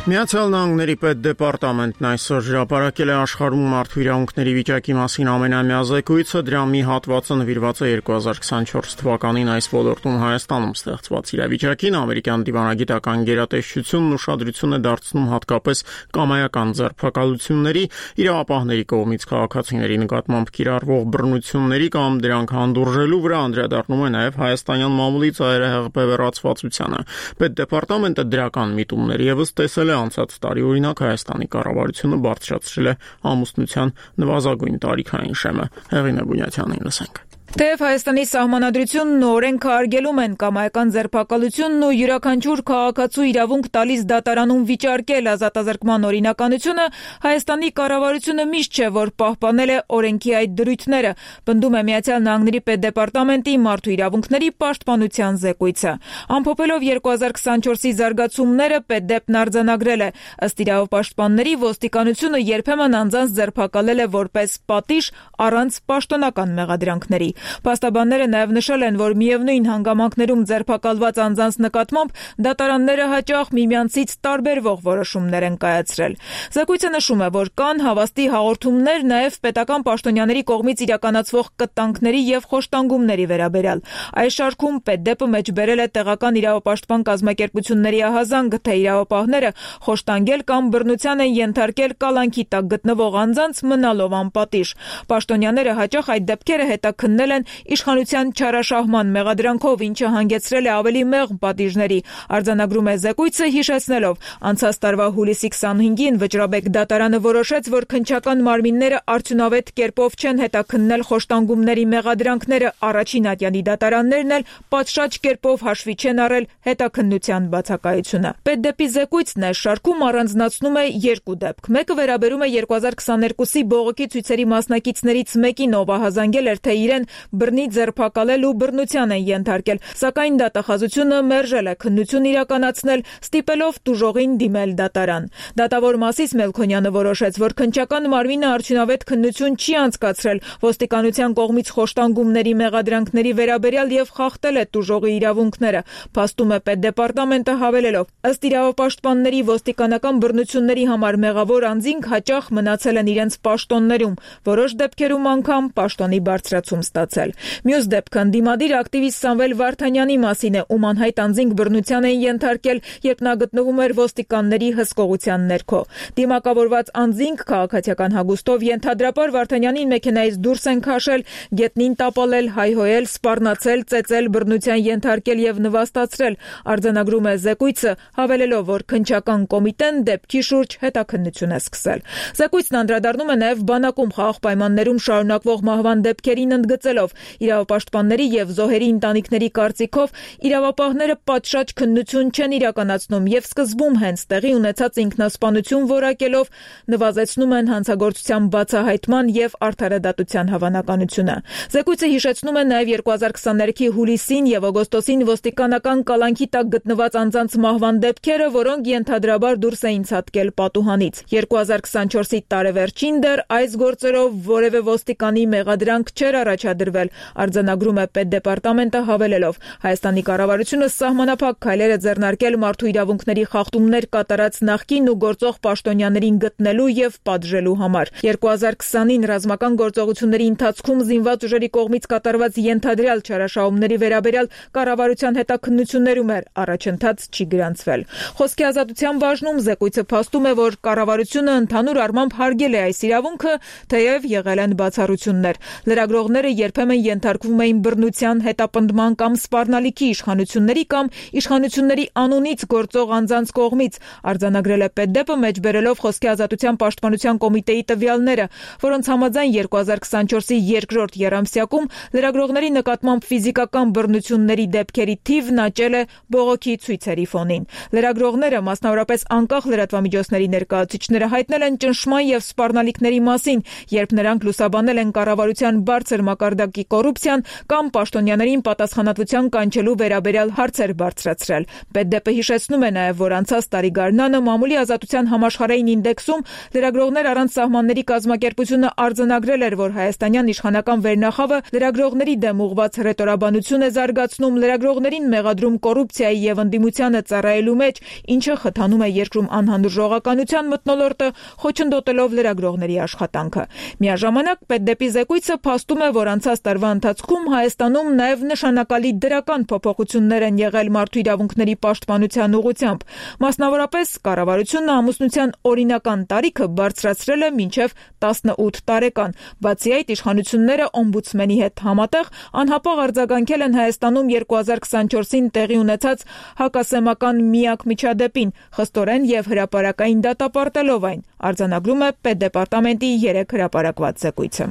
Միացյալ Նահանգների պետդեպարտամենտն այսօր հրապարակել է աշխարհում մարդու իրավունքների վիճակի մասին ամենամյա զեկույցը, դրա մի հատվածը նվիրված է երկու հազար քսանչորս թվականին այս ոլորտում Հայաստանում ստեղծված իրավիճակին։ Ամերիկյան դիվանագիտական գերատեսչությունն ուշադրություն է դարձնում հատկապես կամայական ձերբակալությունների, իրավապահների կողմից քաղաքացիների նկատմամբ կիրառվող բռնությունների կամ դրանք հանդուրժելու վրա, անդրադառնում է նաև հայաստանյան մամուլի ծայրահեղ բևեռացվածությանը։ Պետդեպարտամենտը դրական միտումներ ևս տեսել անցած տարի օրինակ Հայաստանի կառավարությունը բարձրացրել է ամուսնության նվազագույն տարիքային շեմը։ Հեղինե Բունյաթյանին լսենք։ Թեև Հայաստանի սահմանադրությունն ու օրենքը արգելում են կամայական ձերբակալությունն ու յուրաքանչյուր քաղաքացու իրավունք տալիս դատարանում վիճարկել ազատազրկման օրինականությունը, Հայաստանի կառավարությունը միշտ չէ, որ պահպանել է օրենքի այդ դրույթները, պնդում է Միացյալ Նահանգների պետդեպարտամենտի մարդու իրավունքների պաշտպանության զեկույցը։ Ամփոփելով երկու հազար քսանչորսի զարգացումները պետդեպն արձանագրել է. ըստ իրավապաշտպանների ոստիկանությունը երբեմն անձանց ձերբակալել է որպես պատիժ առանց պաշտոնական մեղադրանքների։ Փաստաբանները նաև նշել են, որ միևնույն հանգամանքներում ձերբակալված անձանց նկատմամբ դատարանները հաճախ միմյանցից տարբերվող որոշումներ են կայացրել։ Զեկույցը նշում է, որ կան հավաստի հաղորդումներ նաև պետական պաշտոնյաների կողմից իրականացվող կտանքների եւ խոշտանգումների վերաբերյալ։ Այս շարքում պետդեպը մեջբերել է տեղական իրավապաշտպան կազմակերպությունների ահազանգ, թե իրավապահները խոշտանգել կամ բռնության են ենթարկել կալանքի տակ գտնվող անձանց մնալով անպատիժ։ Պաշտոնյաները հաճախ այդ դեպքերը հետաքննել են իշխանության չարաշահման մեղադրանքով, ինչը հանգեցրել է ավելի մեղմ պատիժների։ Արձանագրում է զեկույցը, հիշեցնելով. անցած տարվա հուլիսի քսանհինգին Վճռաբեկ դատարանը որոշեց, որ քննչական մարմինները արդյունավետ կերպով չեն հետաքննել խոշտանգումների մեղադրանքները, առաջին ատյանի դատարաններն էլ պատշաճ կերպով հաշվի չեն առել հետաքննության բացակայությունը։ Պետդեպի զեկույցն այս շարքում առանձնացնում է երկու դեպք։ Մեկը վերաբերում է երկու հազար քսաներկուսի բողոքի ցույցերի մասնակիցներից մեկին, ով ահազանգել էր, թե իրեն բռնի ձերբակալել ու բռնության են ենթարկել, սակայն դատախազությունը մերժել է քննություն իրականացնել, ստիպելով տուժողին դիմել դատարան։ Դատավոր Մասիս Մելքոնյանը որոշեց, որ քննչական մարմինը արդյունավետ քննություն չի անցկացրել ոստիկանության կողմից խոշտանգումների մեղադրանքների վերաբերյալ եւ խախտել է տուժողի իրավունքները, փաստում է պետդեպարտամենտը հավելելով. ըստ իրավապաշտպանների ոստիկանական բռնությունների համար մեղավոր անձինք հաճախ մնացել են իրենց պաշտոններում, որոշ դեպքերում անգամ պաշտոնի բարձրացում ստացել։ Մյուս դեպքը ընդդիմադիր ակտիվիստ Սամվել Վարդանյանի մասին է, ում անհայտ անձինք բռնության են ենթարկել, երբ նա գտնվում էր ոստիկանների հսկողության ներքո։ Դիմակավորված անձինք քաղաքացիական հագուստով ենթադրաբար Վարդանյանին մեքենայից դուրս են քաշել, գետնին տապալել, հայհոյել, սպառնացել, ծեծել, բռնության ենթարկել եւ նվաստացրել։ Արձանագրում է զեկույցը, հավելելով, որ քննչական կոմիտեն դեպքի շուրջ հետաքննություն է սկսել։ Զեկույցն անդրադառնում է նաև բանակում խաղաղ պայմաններում շարունակվող մահվան դեպքերին, ընդգծելով. իրավապաշտպանների եւ զոհերի ընտանիքների կարծիքով իրավապահները պատշաճ քննություն չեն իրականացնում եւ սկզբում հենց տեղի ունեցած ինքնասպանություն որակելով նվազեցնում են հանցագործության բացահայտման եւ արդարադատության հավանականությունը։ Զեկույցը հիշեցնում է նաև երկու հազար քսաներեքի հուլիսին եւ օգոստոսին ոստիկանական կալանքի տակ գտնված անձանց մահվան դեպքերը, որոնք ենթադրաբար դուրս էին ցատկել պատուհանից։ երկու հազար քսանչորսի տարեվերջին դեռ այս գործերով որևէ ոստիկանի մեղադրանք չէր առաջադրվել, արձանագրում է պետդեպարտամենտը, հավելելով. Հայաստանի կառավարությունը սահմանափակ քայլեր է ձեռնարկել մարդու իրավունքների խախտումներ կատարած նախկին ու գործող պաշտոնյաներին գտնելու եւ պատժելու համար։ երկու հազար քսանին ռազմական գործողությունների ընթացքում զինված ուժերի կողմից կատարված ենթադրյալ չարաշահումների վերաբերյալ կառավարության հետաքննություններում էր առաջընթաց չի գրանցվել։ Խոսքի ազատության բաժնում զեկույցը փաստում է, որ կառավարությունը ընդհանուր առմամբ հարգել է այս իրավունքը, թեև եղել են բացառություններ։ Լրագրողները երբ երբեմն ենթարկվում էին բռնության, հետապնդման կամ սպառնալիքի իշխանությունների կամ իշխանությունների անունից գործող անձանց կողմից, արձանագրել է Պետդեպը մեջբերելով խոսքի ազատության պաշտպանության կոմիտեի տվյալները, որոնց համաձայն երկու հազար քսանչորսի երկրորդ եռամսյակում լրագրողների նկատմամբ ֆիզիկական բռնությունների դեպքերի թիվն աճել է բողոքի ցույցերի ֆոնին։ Լրագրողները, մասնավորապես անկախ լրատվամիջոցների ներկայացուցիչները, հայտնել են ճնշման եւ սպառնալիքների մասին, երբ նրանք լուսաբանել են կառավարության բարձր մակարդակի կոռուպցիան կամ պաշտոնյաներին պատասխանատվության կանչելու վերաբերյալ հարցեր բարձրացրել։ Պետդեպը հիշեցնում է նաև, որ անցած տարի գարնանը մամուլի ազատության համաշխարհային ինդեքսում լրագրողներ առանց սահմանների կազմակերպությունը արձանագրել էր, որ հայաստանյան իշխանական վերնախավը լրագրողների դեմ ուղղված հռետորաբանություն է զարգացնում, լրագրողներին մեղադրում կոռուպցիայի եւ ընդդիմությանը ծառայելու մեջ, ինչը խթանում է երկրում անհանդուրժողականության մթնոլորտը, խոչընդոտելով լրագրողների աշխատանքը։ Միաժամանակ Պետդեպի զեկույցը փաստում է, որ անցած տարվա ընթացքում Հայաստանում նաև նշանակալի դրական փոփոխություններ են եղել մարդու իրավունքների պաշտպանության ուղղությամբ։ Մասնավորապես, կառավարությունը ամուսնության օրինական տարիքը բարձրացրել է մինչև տասնութ տարեկան։ Բացի այդ, իշխանությունները օմբուդսմենի հետ համատեղ անհապաղ արձագանքել են Հայաստանում երկու հազար քսանչորսին տեղի ունեցած հակասեմական միակ միջադեպին, խստորեն եւ հրապարակային դատապարտելով այն, արձանագրում է Պետդեպարտամենտի երեք հրապարակված զեկույցը։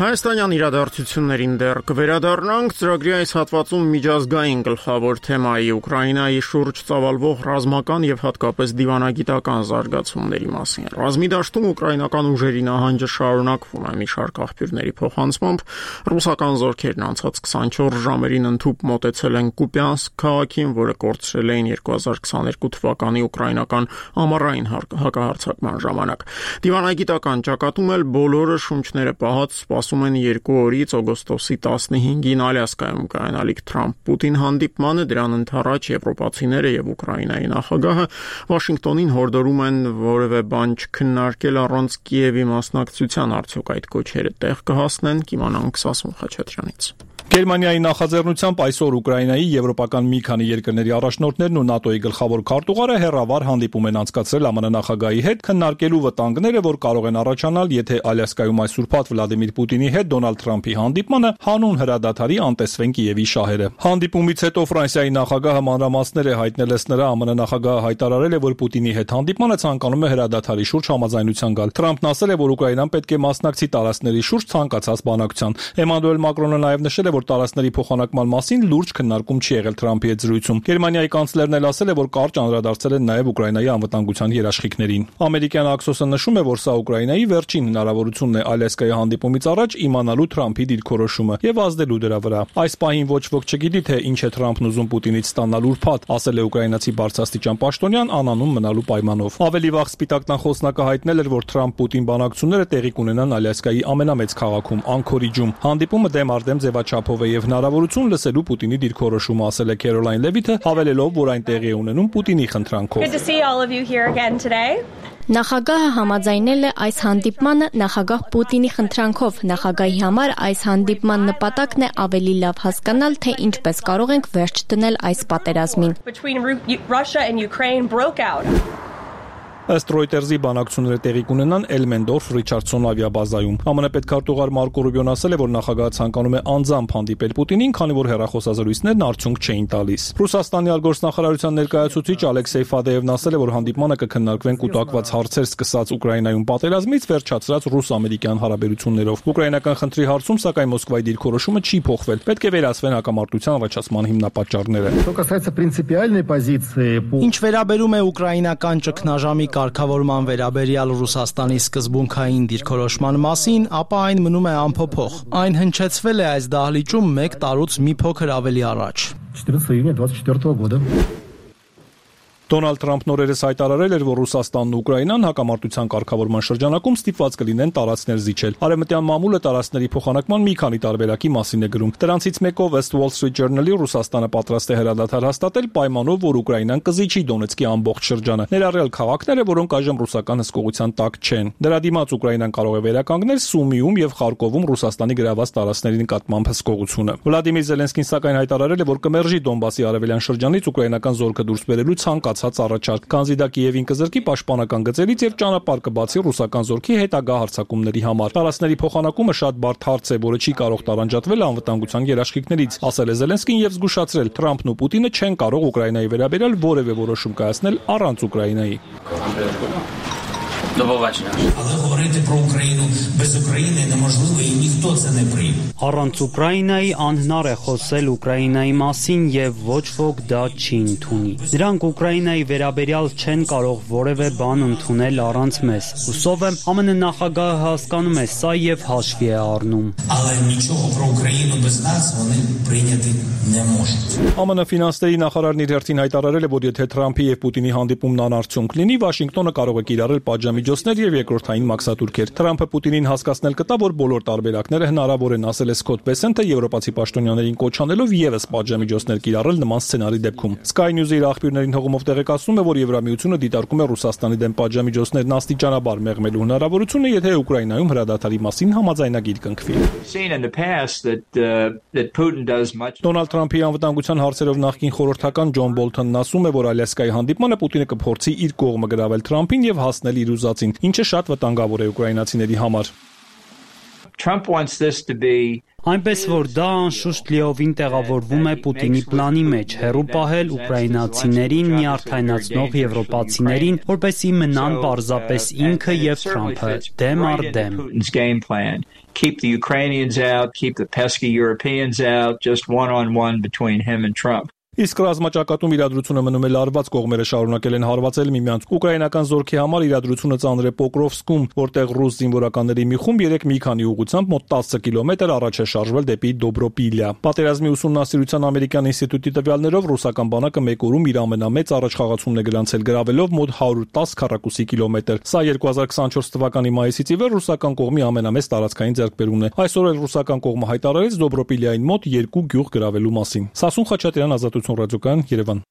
Հայաստանյան իրադարձություններին դեռ կվերադառնանք, ծրագրի այս հատվածում միջազգային գլխավոր թեմայի Ուկրաինայի շուրջ ծավալվող ռազմական եւ հատկապես դիվանագիտական զարգացումների մասին։ Ռազմի դաշտում ուկրաինական ուժերի նահանջը շարունակվում է մի շարք աղբյուրների փոխանցմամբ, ռուսական զորքերն անցած քսանչորս ժամերին ընդհուպ մոտեցել են Կուպյանսկ քաղաքին, որը կորցրել էին երկու հազար քսաներկու թվականի ուկրաինական ամառային հակահարձակման ժամանակ։ Դիվանագիտական ճակատում էլ բոլորը շունչները պահած սպասում են երկու օրից օգոստոսի տասնհինգին Ալյասկայում կայանալիք Թրամփ-Պուտին հանդիպմանը, դրան ընդառաջ եվրոպացիները եւ Ուկրաինայի նախագահը Վաշինգտոնին հորդորում են որևէ բան չքննարկել առանց Կիևի մասնակցության, արդյոք այդ կոչերը տեղ կհասնեն, կիմանանք Սասուն Խաչատրյանից։ Գերմանիայի նախաձեռնությամբ այսօր Ուկրաինայի, եվրոպական մի քանի երկրների առաջնորդներն ու ՆԱՏՕ-ի գլխավոր քարտուղարը հեռավար հանդիպում են անցկացրել ԱՄՆ նախագահի հետ, քննարկելու վտանգները, որ կարող են առաջանալ, եթե Ալյասկայում այս ուրբաթ Վլադիմիր Պուտինի հետ Դոնալդ Թրամփի հանդիպմանը հանուն հրադադարի անտեսվեն Կիևի շահերը։ Հանդիպումից հետո Ֆրանսիայի նախագահը մանրամասներ է հայտնել նրա, ԱՄՆ նախագահը հայտարարել է, որ Պուտինի հետ հանդիպմանը ցանկանում է հրադադարի շուրջ համաձայնության գալ։ Թրամփն ասել է, որ Ուկրաինան պետք է մասնակցի տարածքների շուրջ ցանկացած բանակցության։ Էմանուել Մակրոնը նաև նշել է, որ տարածքների փոխանակման մասին լուրջ քննարկում չի եղել Թրամփի հետ զրույցում։ Գերմանիայի կանցլերն էլ ասել է, որ կարճ անդրադարձել են նաև Ուկրաինայի անվտանգության երաշխիքներին։ Ամերիկյան Աքսոսը նշում է, որ սա Ուկրաինայի վերջին հնարավորությունն է Ալյասկայի հանդիպումից առաջ իմանալու Թրամփի դիրքորոշումը եւ ազդելու դրա վրա։ Այս պահին ոչ ոք չգիտի, թե ինչ է Թրամփն ուզում Պուտինից ստանալ ուրբաթ, ասել է ուկրաինացի բարձրաստիճան պաշտոնյան անանուն մնալու պայմանով։ Ավելի վաղ Սպիտակ տան խոսնակը հայտնել էր, որ Թրամփ-Պուտին բանակցությունները տեղի կունենան Ալյասկայի ամենամեծ քաղաքում Անքորիջում։ Հանդիպումը դեմ առ դեմ ձևաչափով է եւ հնարավորություն լսելու Պուտինի դիրքորոշումը, ասել է Քերոլայն Լևիթը, հավելելով, որ այն տեղի է ունենում Պուտինի խնդրանքով։ Նախագահը համաձայնել է այս հանդիպմանը նախագահ Պուտինի խնդրանքով։ Նախագահի համար այս հանդիպման նպատակն է ավելի լավ հասկանալ, թե ինչպես կարող ենք վերջ դնել այս պատերազմին։ Ըստ Reuters-ի բանակցությունները տեղի կունենան Էլմենդորֆ Ռիչարդսոն ավիաբազայում։ ԱՄՆ պետքարտուղար Մարկո Ռուբիոն ասել է, որ նախագահը ցանկանում է անձամբ հանդիպել Պուտինին, քանի որ հեռախոսազրույցներն արդյունք չէին տալիս։ Ռուսաստանի արտգործնախարարության ներկայացուցիչ Ալեքսեյ Ֆադեևն ասել է, որ հանդիպմանը կքննարկվեն կուտակված հարցեր սկսած Ուկրաինայում պատերազմից վերջացրած ռուս-ամերիկյան հարաբերություններով։ Ուկրաինական խնդրի հարցում, սակայն Մոսկվայի դիրքորոշումը չի փոխվել։ Պետք է վերացվեն հակամարտության առաջացման հիմնապատճառները։ Ինչ վերաբերում է ուկրաինական ճգնաժամի կարգավորման վերաբերյալ Ռուսաստանի սկզբունքային դիրքորոշման մասին, ապա այն մնում է անփոփոխ։ Այն հնչեցվել է այս դահլիճում մեկ տարուց մի փոքր ավելի առաջ։ Դոնալդ Թրամփն օրերս հայտարարել էր, որ Ռուսաստանն ու Ուկրաինան հակամարտության կարգավորման շրջանակում ստիպված կլինեն տարածքներ զիջել։ Արևմտյան մամուլը տարածքների փոխանակման մի քանի տարբերակի մասին է գրում։ Դրանցից մեկով ըստ Wall Street Journal-ի Ռուսաստանը պատրաստ է հրադադար հաստատել պայմանով, որ Ուկրաինան կզիջի Դոնեցկի ամբողջ շրջանը, ներառյալ քաղաքները, որոնք այժմ ռուսական հսկողության տակ չեն։ Դրա դիմաց Ուկրաինան կարող է վերականգնել Սումիում եւ Խարկովում Ռուսաստանի գրաված տարածքների նկատմամբ հսկողությունը։ Վլադիմիր Զելենսկին սակայն հայտարարել է, որ կմերժի Դոնբասի արևելյան շրջանից ուկրաինական զորքը դուրս բերելու ցանկացած առաջարկ, քանզի դա Կիևին կզրկի պաշտպանական գծերից եւ ճանապարհ կբացի ռուսական զորքի հետագա հարձակումների համար։ Տարածքների փոխանակումը շատ բարդ հարց է, որը չի կարող տարանջատվել անվտանգության երաշխիքներից, ասել է Զելենսկին եւ զգուշացրել. Թրամփն ու Պուտինը չեն կարող Ուկրաինայի վերաբերյալ որևէ որոշում կայացնել առանց Ուկրաինայի։ Але говорити про Україну без України неможливо і ніхто це не прийме. Առանց Ուկրաինայի անհնար է խոսել Ուկրաինայի մասին եւ ոչ ոք դա չի ընդունի։ Նրանք Ուկրաինայի վերաբերյալ չեն կարող որևէ բան ընդունել առանց մեզ։ Հուսով եմ ԱՄՆ նախագահը հասկանում է սա եւ հաշվի է առնում։ Але нічого про Україну без нас вони прийняти не можуть. ԱՄՆ ֆինանսների նախարարն իր հերթին հայտարարել է, որ եթե Թրամփի եւ Պուտինի հանդիպումն անարդյունք լինի, Վաշինգտոնը կարող է կիրառել պատժամիջոցներ եւ երկրորդային մաքսատուրքեր։ Թրամփը Պուտինին հասկացնել կտա, որ բոլոր տարբերակները հնարավոր են, ասել է Սկոտ Բեսենթը, եվրոպացի պաշտոնյաներին կոչ անելով եւս պատժամիջոցներ կիրառել նման սցենարի դեպքում։ Sky News-ը իր աղբյուրներին հողումով տեղեկացնում է, որ Եվրամիությունը դիտարկում է Ռուսաստանի դեմ պատժամիջոցներն աստիճանաբար մեղմելու հնարավորությունը, եթե Ուկրաինայում հրադադարի մասին համաձայնագիր կնքվի։ Դոնալդ Թրամփի անվտանգության հարցերով նախկին խորհրդական Ջոն Բոլթոնն ասում է, որ Ալյասկայի հանդիպմանը Պուտինը կփորձի իր կողմը գրավել Թրամփին եւ հասնել իր ուզածին, ինչը շատ վտանգավոր է ուկրաինացիների համար։ Trump wants this to be Այնպես որ դա անշուշտ լիովին տեղավորվում է Պուտինի պլանի մեջ, հեռու պահել ուկրաինացիներին, նյարդայնացնող եվրոպացիներին, որպեսզի մնան պարզապես ինքը եւ Թրամփը դեմ առ դեմ։ Keep the Ukrainians out, keep the pesky Europeans out, just one-on-one between him and Trump. Իսկ ռազմաճակատում իրադրությունը մնում է լարված, կողմերը շարունակել են հարվածել միմյանց։ Ուկրաինական զորքի համար իրադրությունը ծանր է Պոկրովսկում, որտեղ ռուս զինվորականների մի խումբ երեք մի քանի ուղղությամբ մոտ տասը կիլոմետր առաջ է շարժվել դեպի Դոբրոպիլիա։ Պատերազմի ուսումնասիրության ամերիկյան ինստիտուտի տվյալներով ռուսական բանակը մեկ օրում իր ամենամեծ առաջխաղացումն է գրանցել, գրավելով մոտ հարյուր տասը քառակուսի կիլոմետր։ Սա երկու հազար քսանչորս թվականի մայիսից ի վեր ռուսական կողմի ամենամեծ տարածքային ձեռքբերումն է։ Այսօր էլ ռուսական կողմը հայտարարեց Դոբրոպիլիային մոտ երկու գյուղ գրավելու մասին։ Սասուն Խաչատրյան, Ազատություն ռադիոկայան, Երևան։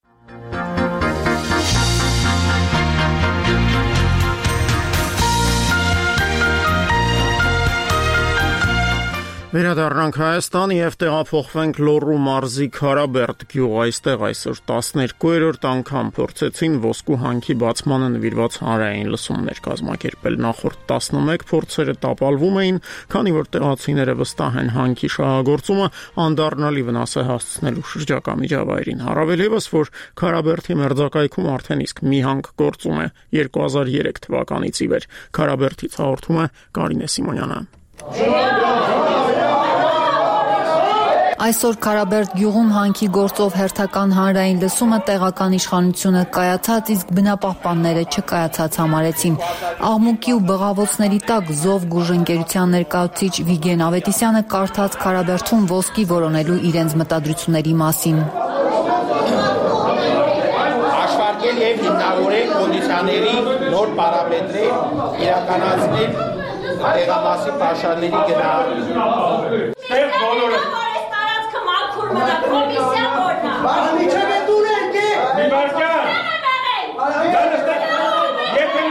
Վերադառնանք Հայաստան եւ տեղափոխվենք Լոռու մարզի Քարաբերդ գյուղ, այստեղ այսօր տասներկուերորդ անգամ փորձեցին ոսկու հանքի բացմանը նվիրված հանրային լսումներ կազմակերպել։ Նախորդ տասնմեկ փորձերը տապալվում էին, քանի որ տեղացիները վստահ են հանքի շահագործումը անդառնալի վնաս է հասցնելու շրջակա միջավայրին։ Առավել եւս, որ Քարաբերդի մերձակայքում արդեն իսկ մի հանք գործում է երկու հազար երեք թվականից ի վեր։ Քարաբերդից հաղորդում է Կարինե Սիմոնյանը։ Այսօր Քարաբերդ գյուղում հանքի գործով հերթական հանրային լսումը տեղական իշխանությունը կայացած, իսկ բնապահպանները չկայացած համարեցին։ Աղմուկի ու բղավոցների տակ Զով գուժընկերության ներկայացուցիչ Վիգեն Ավետիսյանը կարդաց Քարաբերդում ոսկի որոնելու իրենց մտադրությունների մասին։ Աշխատել եւ հիմնավորել կոնդիցիաների նոր պարամետրեր, իրականացնել տեղամասի պաշարների գնահատում։ Կոմիսիա որնա։ Բանը միջև է դուր ենք է։ Միվարկյան։ Եթե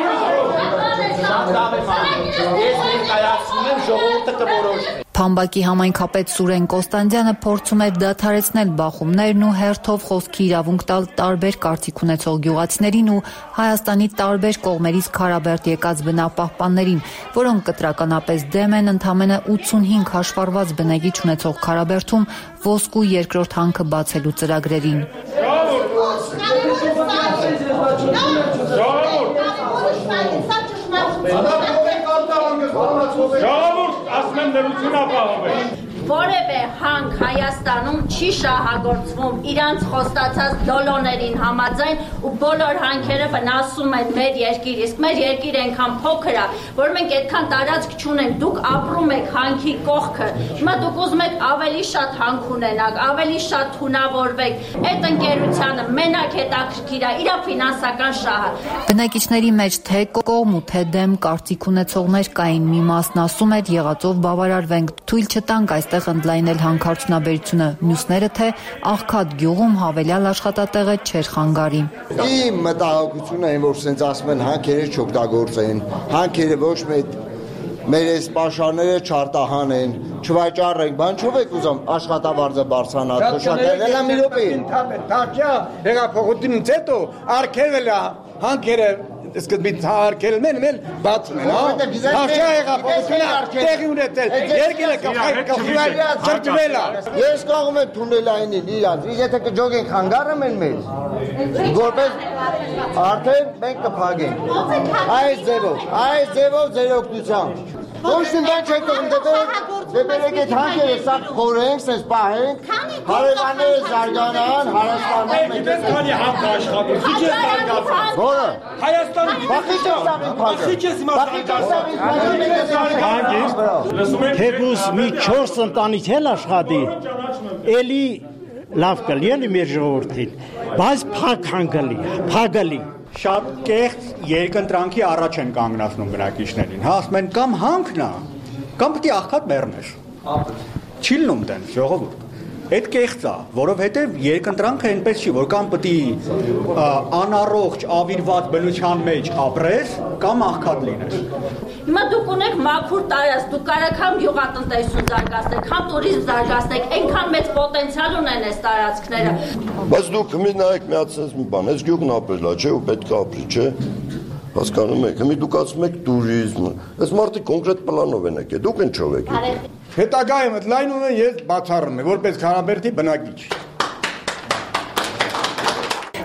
ես ներկայացնում եմ, ժողովուրդը կորոշի։ Փամբակի համայնքապետ Սուրեն Կոստանդյանը փորձում էր դադարեցնել բախումներն ու հերթով խոսքի իրավունք տալ տարբեր կարծիք ունեցող գյուղացիներին ու Հայաստանի տարբեր կողմերից Քարաբերդ եկած բնապահպաններին, որոնք կտրականապես դեմ են ընդամենը ութսունհինգ հաշվառված բնեգիչ ունեցող Քարաբերդում ոսկու երկրորդ հանքը բացելու ծրագրերին։ Ժողովուրդ, ասում եմ նրություն ապահովել։ որևէ հանք Հայաստանում չի շահագործվում իրանց խոստացած դոլոներին համաձայն ու բոլոր հանքերը վնասում են մեր երկիր, իսկ մեր երկիրը այնքան փոքր է, որ մենք այդքան տարածք չունենք, դուք ապրում եք հանքի կողքը, հիմա դուք ուզում եք ավելի շատ հանք ունենաք, ավելի շատ թունավորվեք, այդ ընկերությանը մենակ հետաքրքիր է իր ֆինանսական շահը։ Բնակիչների մեջ թե կողմ ու թե դեմ կարծիք ունեցողներ կային, մի մասն ասում էր եղածով բավարարվենք, թույլ չտանք այստեղ ընդլայնել հանքարդյունաբերությունը, մյուսները թե աղքատ գյուղում հավելյալ աշխատատեղը չէր խանգարի։ Իմ մտահոգությունը այն, որ սենց ասում են հանքերը չօգտագործեն, հանքերը ոչ մեկ մեր այս պաշարները չարտահանեն, չվաճառենք, բան չով եք ուզում աշխատավարձը բարձրանա, թոշակներն էլ մի րոպե։ Թակյա հեղափոխությունից հետո արգելվել է հանքերը սկզբից արգելել են, էլ բացում են, հա։ Թակյա հեղափոխությունը տեղի ունեցել, երկիրը կխրճվել է։ Ես կողում եմ թունելայինին իրանց, իսկ եթե կջոգենք հանգարը մեն մեզ, որպես արդեն մենք կփակենք։ Այս ձևով, այս ձևով ձեր օգնությամբ։ Ոչ մի բան չեք տողում, դե բերեք այդ հանքերը սա խորենք, սենց պահենք, հարևանները զարգանան, հարստանան, մենք ես քանի հանք աշխատում, քիչ է զարգացան։ Որը։ Հայաստանի բախիչ է սավին փակը։ Բախիչ է զարգացան։ Թեկուզ մի չորս ընտանիք էլ աշխատի, էլի լավ կլի էլի մեր ժողովրդին, բայց փակ հանգալի, փագալի։ Շատ կեղծ երկընտրանքի առաջ են կանգնացնում բնակիչներին, հա, ասում են կամ հանքն է, կամ պետք է աղքատ մեռնես։ Չի լինում դեն ժողովուրդ։ Այդ կեղծ է, որովհետև երկընտրանքը այնպես չի, որ կամ պետք է անառողջ, ավիրված բնության մեջ ապրես, կամ աղքատ լինես։ Հիմա դուք ունեք մաքուր տարածք, դուք կարող եք համ գյուղատնտեսություն զարգացնեք, համ տուրիզմ զարգացնեք, այնքան մեծ պոտենցիալ ունեն այս տարածքները։ Բայց դուք մի նայեք միացած մի բան, այս գյուղն ապրել է, չէ, ու պետք է ապրի, չէ։ Հասկանում եք, հիմա դուք ասում եք տուրիզմ, այս մարդիկ կոնկրետ պլանով են եկել, դուք ինչով եք եկել։ Հետագայում այդ լայնումը ես բացառում եմ, որպես Քարաբերդի բնակիչ։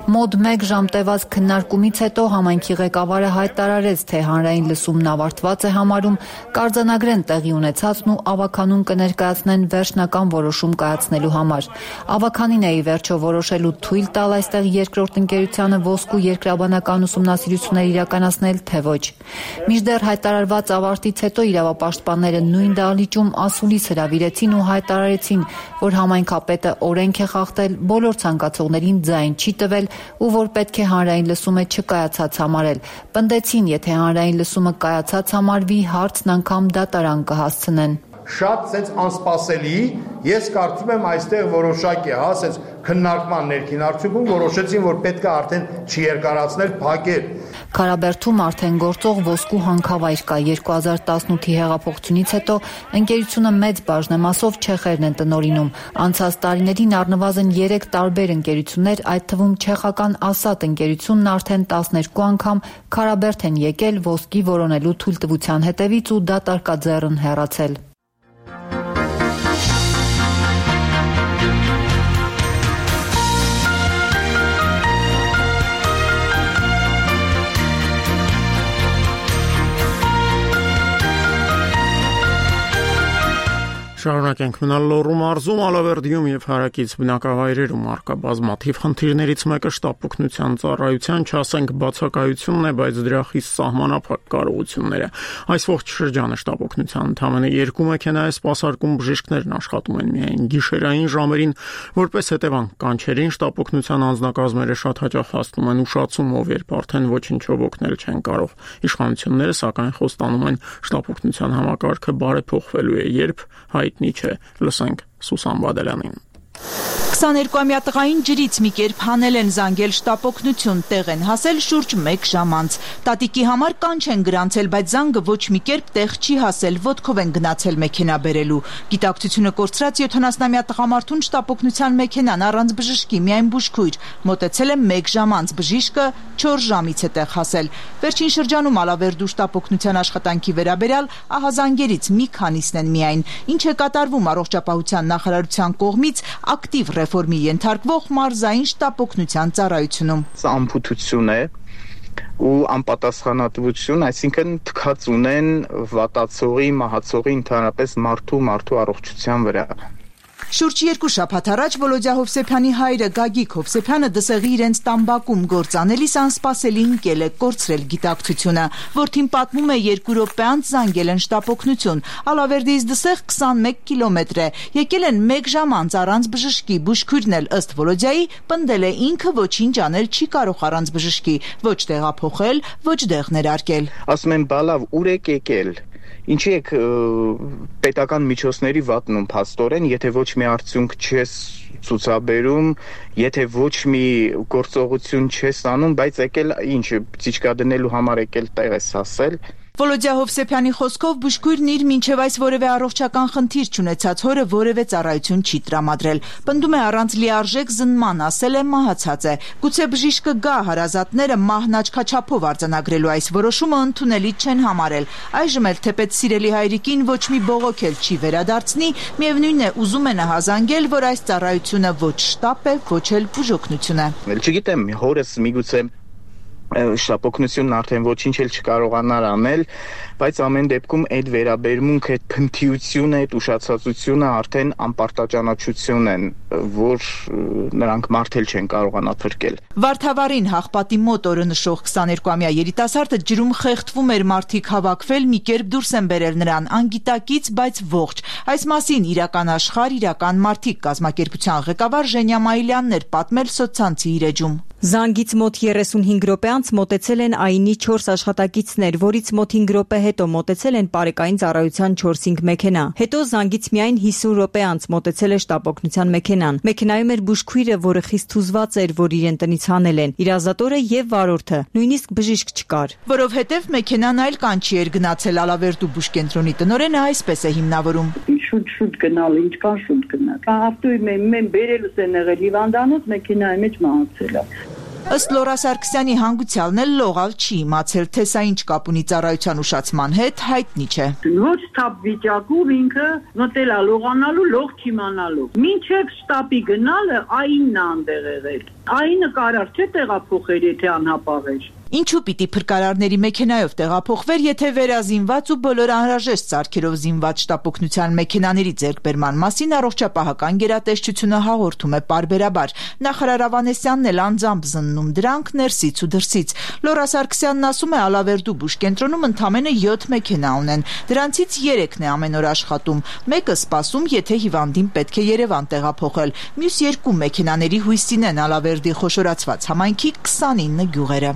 Մոտ մեկ ժամ տևած քննարկումից հետո համայնքի ղեկավարը հայտարարեց, թե հանրային լսումն ավարտված է համարում, կարձանագրեն տեղի ունեցածն ու ավականուն կներկայացնեն վերջնական որոշում կայացնելու համար։ Ավականին է ի վերջո որոշելու թույլ տալ այստեղ երկրորդ ընկերությանը ոսկու երկրաբանական ուսումնասիրություններ իրականացնել, թե ոչ։ Մինչդեռ հայտարարված ավարտից հետո իրավապաշտպանները նույն դահլիճում ասուլիս հրավիրեցին ու հայտարարեցին, որ համայնքապետը օրենք է խախտել, բոլոր ցանկացողներին ձայն չի տվել ու որ պետք է հանրային լսումը չկայացած համարել։ Պնդեցին, եթե հանրային լսումը կայացած համարվի, հարցն անգամ դատարան կհասցնեն։ Շատ սենց անսպասելի, ես կարծում եմ այստեղ որոշակ է, հա, սենց քննարկման ներքին արդյունքում որոշեցին, որ պետք է արդեն չերկարացնել, փակել։ Քարաբերդում արդեն գործող ոսկու հանքավայր կա։ երկու հազար տասնութի հեղափոխությունից հետո ընկերությունը մեծ բաժնեմասով չեխերն են տնօրինում։ Անցած տարիներին առնվազն երեք տարբեր ընկերություններ, այդ թվում չեխական Ասատ ընկերությունն արդեն տասներկու անգամ Քարաբերդ են եկել ոսկի որոնելու թույլտվության հետևից ու դատարկաձեռն հեռացել։ Շարունակենք մնալ Լոռու մարզում, Ալավերդիում եւ հարակից բնակավայրերում առկա բազմաթիվ խնդիրներից մեկը շտապօգնության ծառայության, չասենք բացակայությունն է, բայց դրա խիստ սահմանափակ կարողությունները։ Այս ողջ շրջանը շտապօգնության ընդամենը երկու մեքենա է սպասարկում, բժիշկներն աշխատում են միայն գիշերային ժամերին, որպես հետևանք կանչերին շտապօգնության անձնակազմերը շատ հաճախ հասնում են ուշացումով, երբ արդեն ոչինչով օգնել չեն կարող։ Իշխանությունները սակայն խոստանում են շտապօգնության համակարգը բարեփոխվելու է, երբ հայտնի չէ, լսենք Սուսան Բադալյանին։ քսաներկուամյա տղային ջրից մի կերպ հանել են, զանգել շտապօգնություն, տեղ են հասել շուրջ մեկ ժամ անց։ Տատիկի համար կանչ են գրանցել, բայց զանգը ոչ մի կերպ տեղ չի հասել, ոտքով են գնացել մեքենա բերելու։ Գիտակցությունը կորցրած յոթանասնամյա տղամարդուն շտապօգնության մեքենան առանց բժշկի, միայն բուժքույր, մոտեցել է մեկ ժամ անց, բժիշկը չորս ժամից է տեղ հասել։ Վերջին շրջանում Ալավերդու շտապօգնության աշխատանքի վերաբերյալ ահազանգերից մի քանիսն են միայն։ Ինչ է կատարվում առողջապահության նախարարության կողմից ակտիվ ռեֆորմի ենթարկվող մարզային շտապօգնության ծառայությունում։ Սա ամփոփություն է, ու անպատասխանատվություն, այսինքն թքած ունեն վատացողի, մահացողի, ընդհանրապես մարդու մարդու առողջության վրա։ Շուրջ երկու շաբաթ առաջ Վոլոդյա Հովսեփյանի հայրը Գագիկ Հովսեփյանը դսեղի իրենց տամբակում գործանելիս անսպասելի ընկել է կորցրել գիտակցությունը։ Որդին պատմում է երկու րոպե անց զանգել են շտապօգնություն։ Ալավերդիից դսեղ քսանմեկ կիլոմետր է։ Եկել են մեկ ժամ անց առանց բժշկի։ Բուժքույրն էլ ըստ Վոլոդյայի պնդել է ինքը ոչինչ անել չի կարող առանց բժշկի, ոչ տեղափոխել, ոչ դեղ ներարկել։ Ասում են բալավ ուր եք եկել։ Ինչի եք պետական միջոցների վատնում փաստորեն, եթե ոչ մի արդյունք չես ցուցաբերում, եթե ոչ մի գործողություն չես անում, բայց եկել ինչ ծիճկա դնելու համար եկել տեղ ես ասել։ Վոլոդյա Հովսեփյանի խոսքով բուժքույրն իր մինչև այս որևէ առողջական խնդիր չունեցած հորը որևէ ծառայություն չի տրամադրել։ Պնդում է առանց լիարժեք զննման, ասել է մահացած է։ Գուցե բժիշկը գա հարազատները մահն աչքաչափով արձանագրելու այս որոշումը ընդունելի չեն համարել։ Այժմ էլ թեպետ սիրելի հայրիկին ոչ մի բողոք էլ չի վերադարձնի, միևնույն է ուզում է նահազանգել, որ այս ծառայությունը ոչ շտապ է, ոչ էլ բուժօգնություն է։ Չգիտեմ, հորս միգուցե շտապօգնությունն արդեն ոչինչ էլ չկարողանար անել, բայց ամեն դեպքում այդ վերաբերմունքը, այդ փնթիությունը, այդ ուշացածությունը արդեն անպարտաճանաչություն են, որ նրանք մարդել չեն կարողանա փրկել։ Վարդավառին Հաղպատի մոտ օրը նշող քսաներկուամյա երիտասարդը ջրում խեղդվում էր, մարդիկ հավաքվել, մի կերպ դուրս են բերել նրան, անգիտակից, բայց ողջ։ Այս մասին իրական աշխարհ, իրական մարդիկ կազմակերպության ղեկավար Ժենյա Մայիլյանն էր պատմել սոցցանցի իր էջում։ Զանգից մոտ երեսունհինգ րոպե անց մոտեցել են ԱԻՆ-ի չորս աշխատակիցներ, որից մոտ հինգ րոպե հետո մոտեցել են Պարեկային ծառայության չորս-հինգ մեքենա։ Հետո զանգից միայն հիսուն րոպե անց մոտեցել է շտապօգնության մեքենան։ Մեքենայում էր բուժքույրը, որը խիստ հուզված էր, որ իրեն տնից հանել են, իր ազատորը եւ վարորդը, նույնիսկ բժիշկ չկար։ Որովհետեւ մեքենան այլ կանչի էր գնացել, Ալավերդու բուժկենտրոնի տնօրենը այսպես է հիմնավորում։ Շուտ-շուտ գնալ, ինչքան շուտ գնալ։ Ավտոյի մեն բերելուս են եղել հիվանդանոց, մեքենայի մեջ մահացել է։ Ըստ Լորա Սարգսյանի հանգուցյալն էլ լողալ չի իմացել, թե սա ինչ կապ ունի ծառայության ուշացման հետ, հայտնի չէ։ Ոչ թափ վիճակում ինքը մտել է լողանալու, լող չիմանալու։ Մինչև շտապի գնալը ԱԻՆ-ն է այնտեղ եղել։ ԱԻՆ-ը կարար չէ տեղափոխել, եթե անհապաղ էր։ Ինչու պիտի փրկարարների մեքենայով տեղափոխվեր, եթե վերազինված ու բոլոր անհրաժեշտ սարքերով զինված շտապօգնության մեքենաների ձեռքբերման մասին առողջապահական գերատեսչությունը հաղորդում է պարբերաբար։ Նախարար Ավանեսյանն էլ անձամբ զննում դրանք ներսից ու դրսից։ Լորա Սարգսյանն ասում է, Ալավերդու բուժկենտրոնում ընդամենը յոթ մեքենա ունեն։ Դրանցից երեքն է ամեն օր աշխատում։ Մեկը սպասում, եթե հիվանդին պետք է Երևան տեղափոխել։ Մյուս երկու մեքենաների հույսին են Ալավերդի խոշորացված համայնքի քսանինը գյուղերը։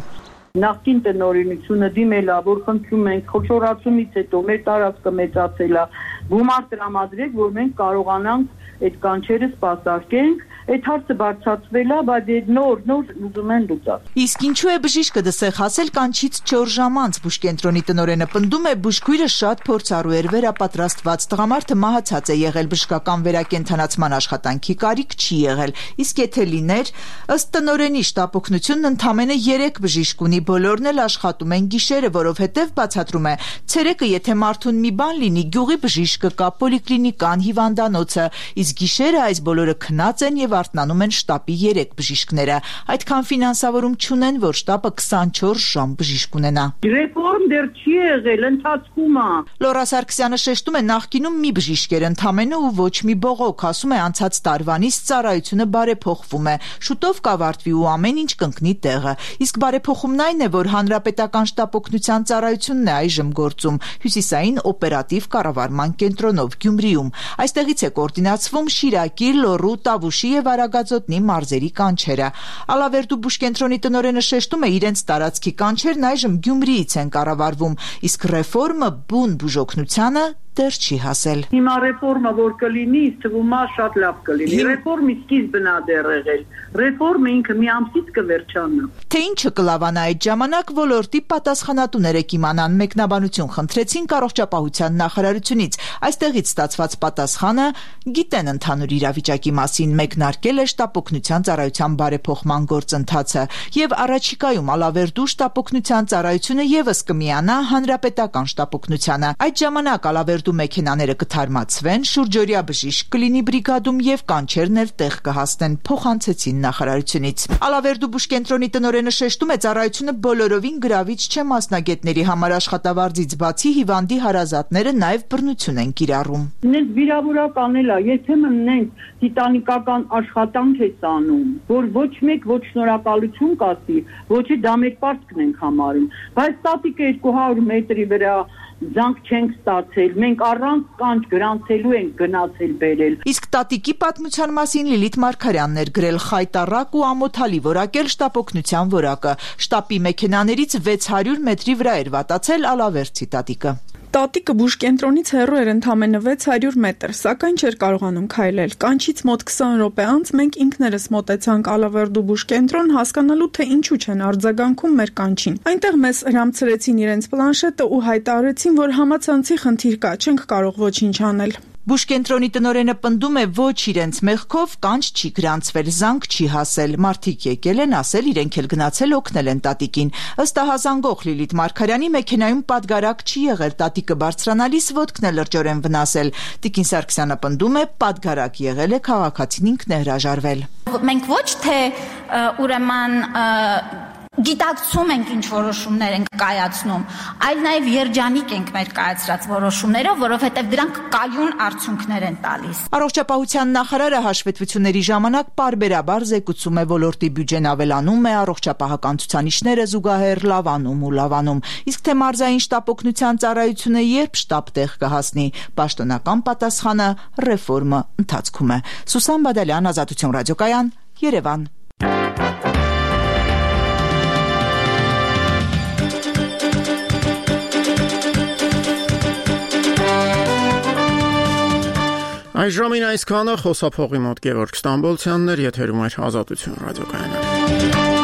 Նախկին տնօրինությունը դիմել է, որ խնդրում ենք խոշորացումից հետո մեր տարածքը մեծացել է, գումար տրամադրեք, որ մենք կարողանանք այդ կանչերը սպասարկենք։ Այդ հարցը բարձրացվել է, բայց նոր նոր ուզում են լուծել։ Իսկ ինչու է բժիշկը դսեղ հասել կանչից չորս ժամ անց, բուժկենտրոնի տնօրենը պնդում է, բուժքույրը շատ փորձառու էր, վերապատրաստված, տղամարդը մահացած է եղել, բժշկական վերակենդանացման աշխատանքի կարիք չի եղել։ Իսկ եթե լիներ, ըստ տնօրենի շտապօգնությունն ընդամենը երեք բժիշկ ունի, բոլորն էլ աշխատում են գիշերը, որովհետև բացատրում է, ցերեկը եթե մարդուն մի բան լինի, գյուղի բժիշկը կա, պոլիկլինիկան, հիվանդանոցը, իսկ գիշերը այս բոլորը քնած են եւ արթնանում են շտապի երեք բժիշկները։ Այդքան ֆինանսավորում չունեն, որ շտապը քսանչորս ժամ բժիշկ ունենա։ Ռեֆորմ դեռ չի եղել, ընթացքում է։ Լորա Սարգսյանը շեշտում է, նախկինում մի բժիշկ էր ընդամենը ու ոչ մի բողոք, ասում է, անցած տարվանից ծառայությունը բարեփոխվում է, շուտով կավարտվի ու ամեն ինչ կընկնի տեղը։ Իսկ բարեփոխումն այն է, որ հանրապետական շտապօգնության ծառայությունն է այժմ գործում հյուսիսային օպերատիվ կառավարման կենտրոնով Գյումրիում։ Այստեղից է կոորդինացվում Շիրակի, Լոռու, Տավուշի եւ Արագածոտնի մարզերի կանչերը։ Ալավերդու բուժկենտրոնի տնօրենը շեշտում է, իրենց տարածքի կանչերն այժմ Գյումրիից են կառավարվում, իսկ ռեֆորմը բուն բուժօգնությանը դեռ չի հասել։ Հիմա ռեֆորմը որ կլինի, թվում է շատ լավ կլինի։ Ռեֆորմի սկիզբն է դեռ եղել։ Ռեֆորմը ինքը մի ամսից կվերջանա։ Թե ինչը կլավանա այդ ժամանակ, ոլորտի պատասխանատուները կիմանան, մեկնաբանություն խնդրեցին առողջապահության նախարարությունից։ Այստեղից ստացված պատասխանը գիտեն ընդհանուր իրավիճակի մասին, մեկնարկել է շտապօգնության ծառայության բարեփոխման գործընթացը եւ առաջիկայում Ալավերդու շտապօգնության ծառայությունը եւս կմիանա հանրապետական շտապօգնությանը։ Այդ ժամանակ Ալավերդու ավտոմեքենաները կթարմացվեն, շուրջօրյա բժիշկ կլինի բրիգադում եւ կանչերն էլ տեղ կհասնեն, փոխանցեցին նախարարությունից։ Ալավերդու բուժկենտրոնի տնօրենը շեշտում է, ծառայությունը բոլորովին գրավիչ չէ մասնագետների համար, աշխատավարձից բացի հիվանդի հարազատները նաեւ բռնություն են կիրառում։ Նենց վիրավորական էլ է, երբեմն նենց տիտանիկական աշխատանք է անում, որ ոչ մեկ ոչ շնորհակալություն կասի, ոչ է դա մեր պարտքն ենք համարում, բայց տատիկը երկու հարյուր մետրի վրա զանգ չենք ստացել, մենք առանց կանչ գրանցելու ենք գնացել բերել։ Իսկ տատիկի պատմության մասին Լիլիթ Մարգարյանն էր գրել խայտառակ ու ամոթալի որակել շտապօգնության որակը։ Շտապի մեքենաներից վեց հարյուր մետրի վրա էր վատացել Ալավերդի տատիկը։ Տատիկը բուժկենտրոնից հեռու էր ընդամենը վեց հարյուր մետր, սակայն չէր կարողանում քայլել։ Կանչից մոտ քսան րոպե անց մենք ինքներս մոտեցանք Ալավերդու բուժկենտրոն հասկանալու, թե ինչու չեն արձագանքում մեր կանչին։ Այնտեղ մեզ հրամցրեցին իրենց պլանշետը ու հայտարարեցին, որ համացանցի խնդիր կա, չենք կարող ոչինչ անել։ Բուժկենտրոնի տնօրենը պնդում է, ոչ իրենց մեղքով կանչ չի գրանցվել, զանգ չի հասել։ Մարդիկ եկել են ասել, իրենք էլ գնացել օգնել են տատիկին։ Ըստ ահազանգող Լիլիթ Մարգարյանի մեքենայում պատգարակ չի եղել, տատիկը բարձրանալիս ոտքն է լրջորեն վնասել։ Տիկին Սարգսյանը պնդում է, պատգարակ եղել է, քաղաքացին ինքն է հրաժարվել։ Մենք ոչ թե ուրեմն գիտակցում ենք ինչ որոշումներ ենք կայացնում, այլ նաև երջանիկ ենք մեր կայացրած որոշումներով, որովհետև դրանք կայուն արդյունքներ են տալիս։ Առողջապահության նախարարը հաշվետվությունների ժամանակ պարբերաբար զեկուցում է, ոլորտի բյուջեն ավելանում է, առողջապահական ցուցանիշները զուգահեռ լավանում ու լավանում։ Իսկ թե մարզային շտապօգնության ծառայությունը երբ շտապ տեղ կհասնի, պաշտոնական պատասխանը ռեֆորմը ընթացքում է։ Սուսան Բադալյան, Ազատություն ռադիոկայան, Երևան։ Այժմին այսքանը, խոսափողի մոտ Գևորգ Ստամբոլցյանն էր, եթերում էր Ազատություն ռադիոկայանը։